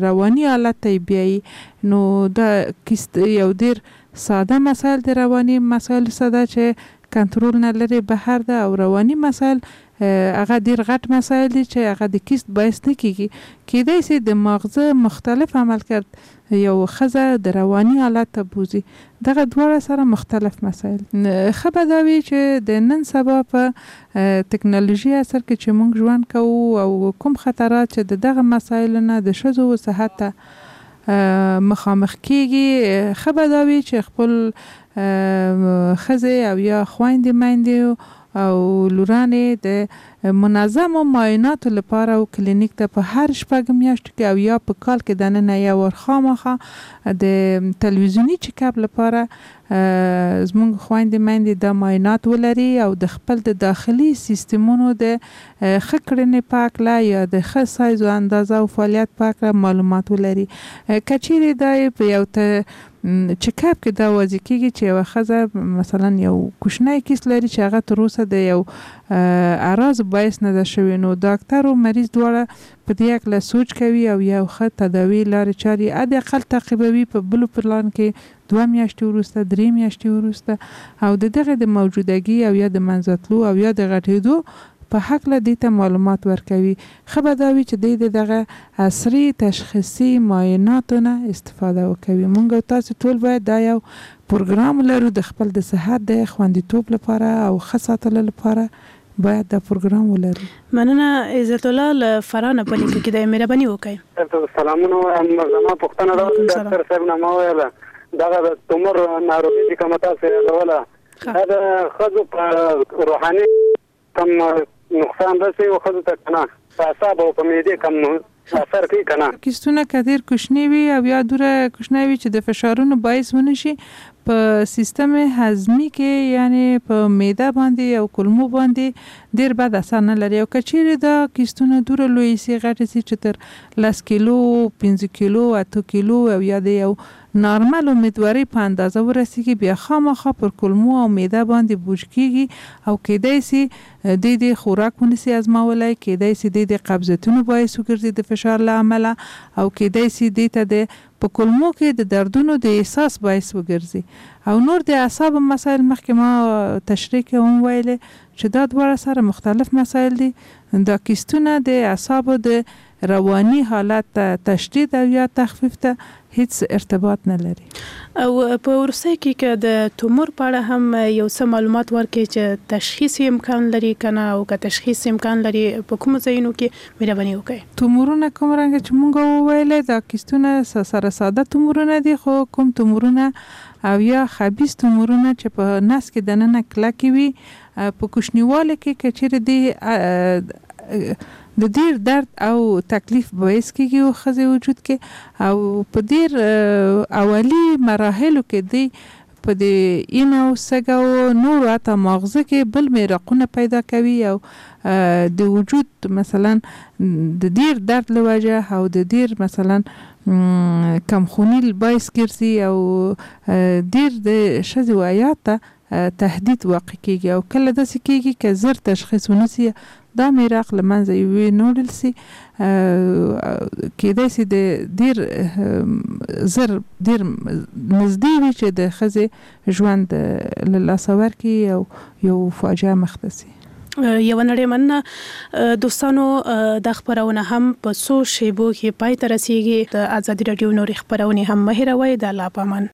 رواني حالت ته یې بیایي، نو دا کیست یو ډېر ساده مسایل د رواني مسایل ساده چې کنترل نه لري بهر ده، او رواني مسایل هغه ډیر غټ مسایل دي چې هغه د کیست باعث نه کیږي. کېدای شي د ماغزه مختلف عملکرد یو ښځه د رواني حالت ته بوځي. دغه دواړه سره مختلف مسایل. ښه به دا وي چې د نن سبا په تکنالوژي عصر کې چې موږ ژوند کوو او کوم خطرات چې د دغه مسایلو نه د ښځو صحت ته مخامخ کیږي، ښه به دا وي چې خپل ښځې او یا خویندې میندې او لورانې د منظمو معایناتو لپاره او کلینیک ته په هر شپږ میاشتو کې او یا په کال کې دننه یو وار خامخا د تلویزیوني چک اپ لپاره زموږ خویندې میندې دا معاینات ولري او د خپل د داخلي سیستمونو د ښه کړنې په هکله یا د ښه سایز او اندازه او فعالیت په هکله معلومات ولري. که چیرې دا په یو چک اپ کې دا واضح کیږي چې یوه ښځه مثلا یو کوچنی کیس لري چې هغه تر اوسه د یو اعراض باعث نه ده شوې، نو ډاکټر او مریض دواړه په دې هکله سوچ کوي او یو ښه تداوي لارې چارې حد اقل تعقیبوي په بلو پلان کې دوه میاشتې وروسته، درې میاشتې وروسته، او د دغه د موجودګي او یا د منځه تلو او یا د غټېدو په هکله دې ته معلومات ورکوي. ښه به دا وي چې دی د دغه عصري تشخیصي معایناتو نه استفاده وکوي. موږ او تاسو ټول باید دا یو پروګرام ولرو د خپل د صحت د خوندیتوب لپاره او ښه ساتلو لپاره باید دا پروګرام ولرو. مننه عزت الله له فراه نه په لیکه کې دی، مهرباني وکړئ. سلامونه وایم، زما پوښتنه دا ده ډاکټر صاحب نه ما ویله دغه د تومور ناروغي چې کومه تاسو یادوله دا د ښځو په روحاني کوم نقصان رسوي او ښځو ته که نه په اعصابو او په معدې کوم اثر کوي که نه؟ کیستونه که ډېر کوچني وي او یا دومره کوچنی وي چې د فشارونو باعث ونه شي په سیستم هضمي کې، یعنی په معده باندې او کولمو باندې ډېر بد اثر نه لري. او که چیرې دا کیستونه دومره لوی سي غټ سي چې تر لس کیلو، پنځه کیلو، اته کیلو او یا د یو نارمل امیدوارۍ په اندازه ورسیږي، بیا خامخا پر کولمو او معده باندې بوج کیږي او کیدای سي دوی د خوراک ونسي ازمولی، کیدای سي دوی د قبضیتونو باعث وګرځي د فشار له امله، او کیدای سي دوی ته د په کولمو کې د دردونو د احساس باعث وګرځي. او نور د اعصابو مسایل مخکې ما تشریح کې هم ویلې چې دا دواړه سره مختلف مسایل دي. دا کیستونه د اعصابو د رواني حالت ته تشدید او یا تخفیف ته هیڅ ارتباط نه لري. او په وروستۍ کې که د تومور په اړه هم یو څه معلومات ورکړئ چې تشخیص یې امکان لري که نه، او که تشخیص امکان لري په کومو ځایونو کې، مهرباني وکړئ. تومورونه کوم رنګه چې مونږ وویلې دا کیستونه سره ساده تومورونه دي، خو کوم تومورونه او یا خبیث تومورونه چې په نس کې دننه کلکې وي، په کوچنیوالي کې که چیرې دی د ډیر درد او تکلیف باعث کیږي او ښځې وجود کې، او په ډیر اولی مراحلو کې دی په دې اینه او سږه او نورو حتی ماغزه کې بل میراقونه پیدا کوي، او د وجود مثلا د ډیر درد له وجه او د ډیر مثلا کمخوني باعث ګرځي، او ډیر د ښځې و حیات ته تهدید واقع کیږي. او کله داسې کیږي که زر تشخیص ونه سي دا میراق له منځه ونوړل سي، کیدای سي د ډیر زر ډیر نږدې وي چې د ښځې ژوند له لاسه ورکړي او یو فاجعه مخته سي. یوه نړۍ مننه دوستانو، دا خپرونه هم په څو شیبو کې پای ته رسیږي. د ازادي راډیو نورې خپرونې هم مه هېروئ. د الله په امان.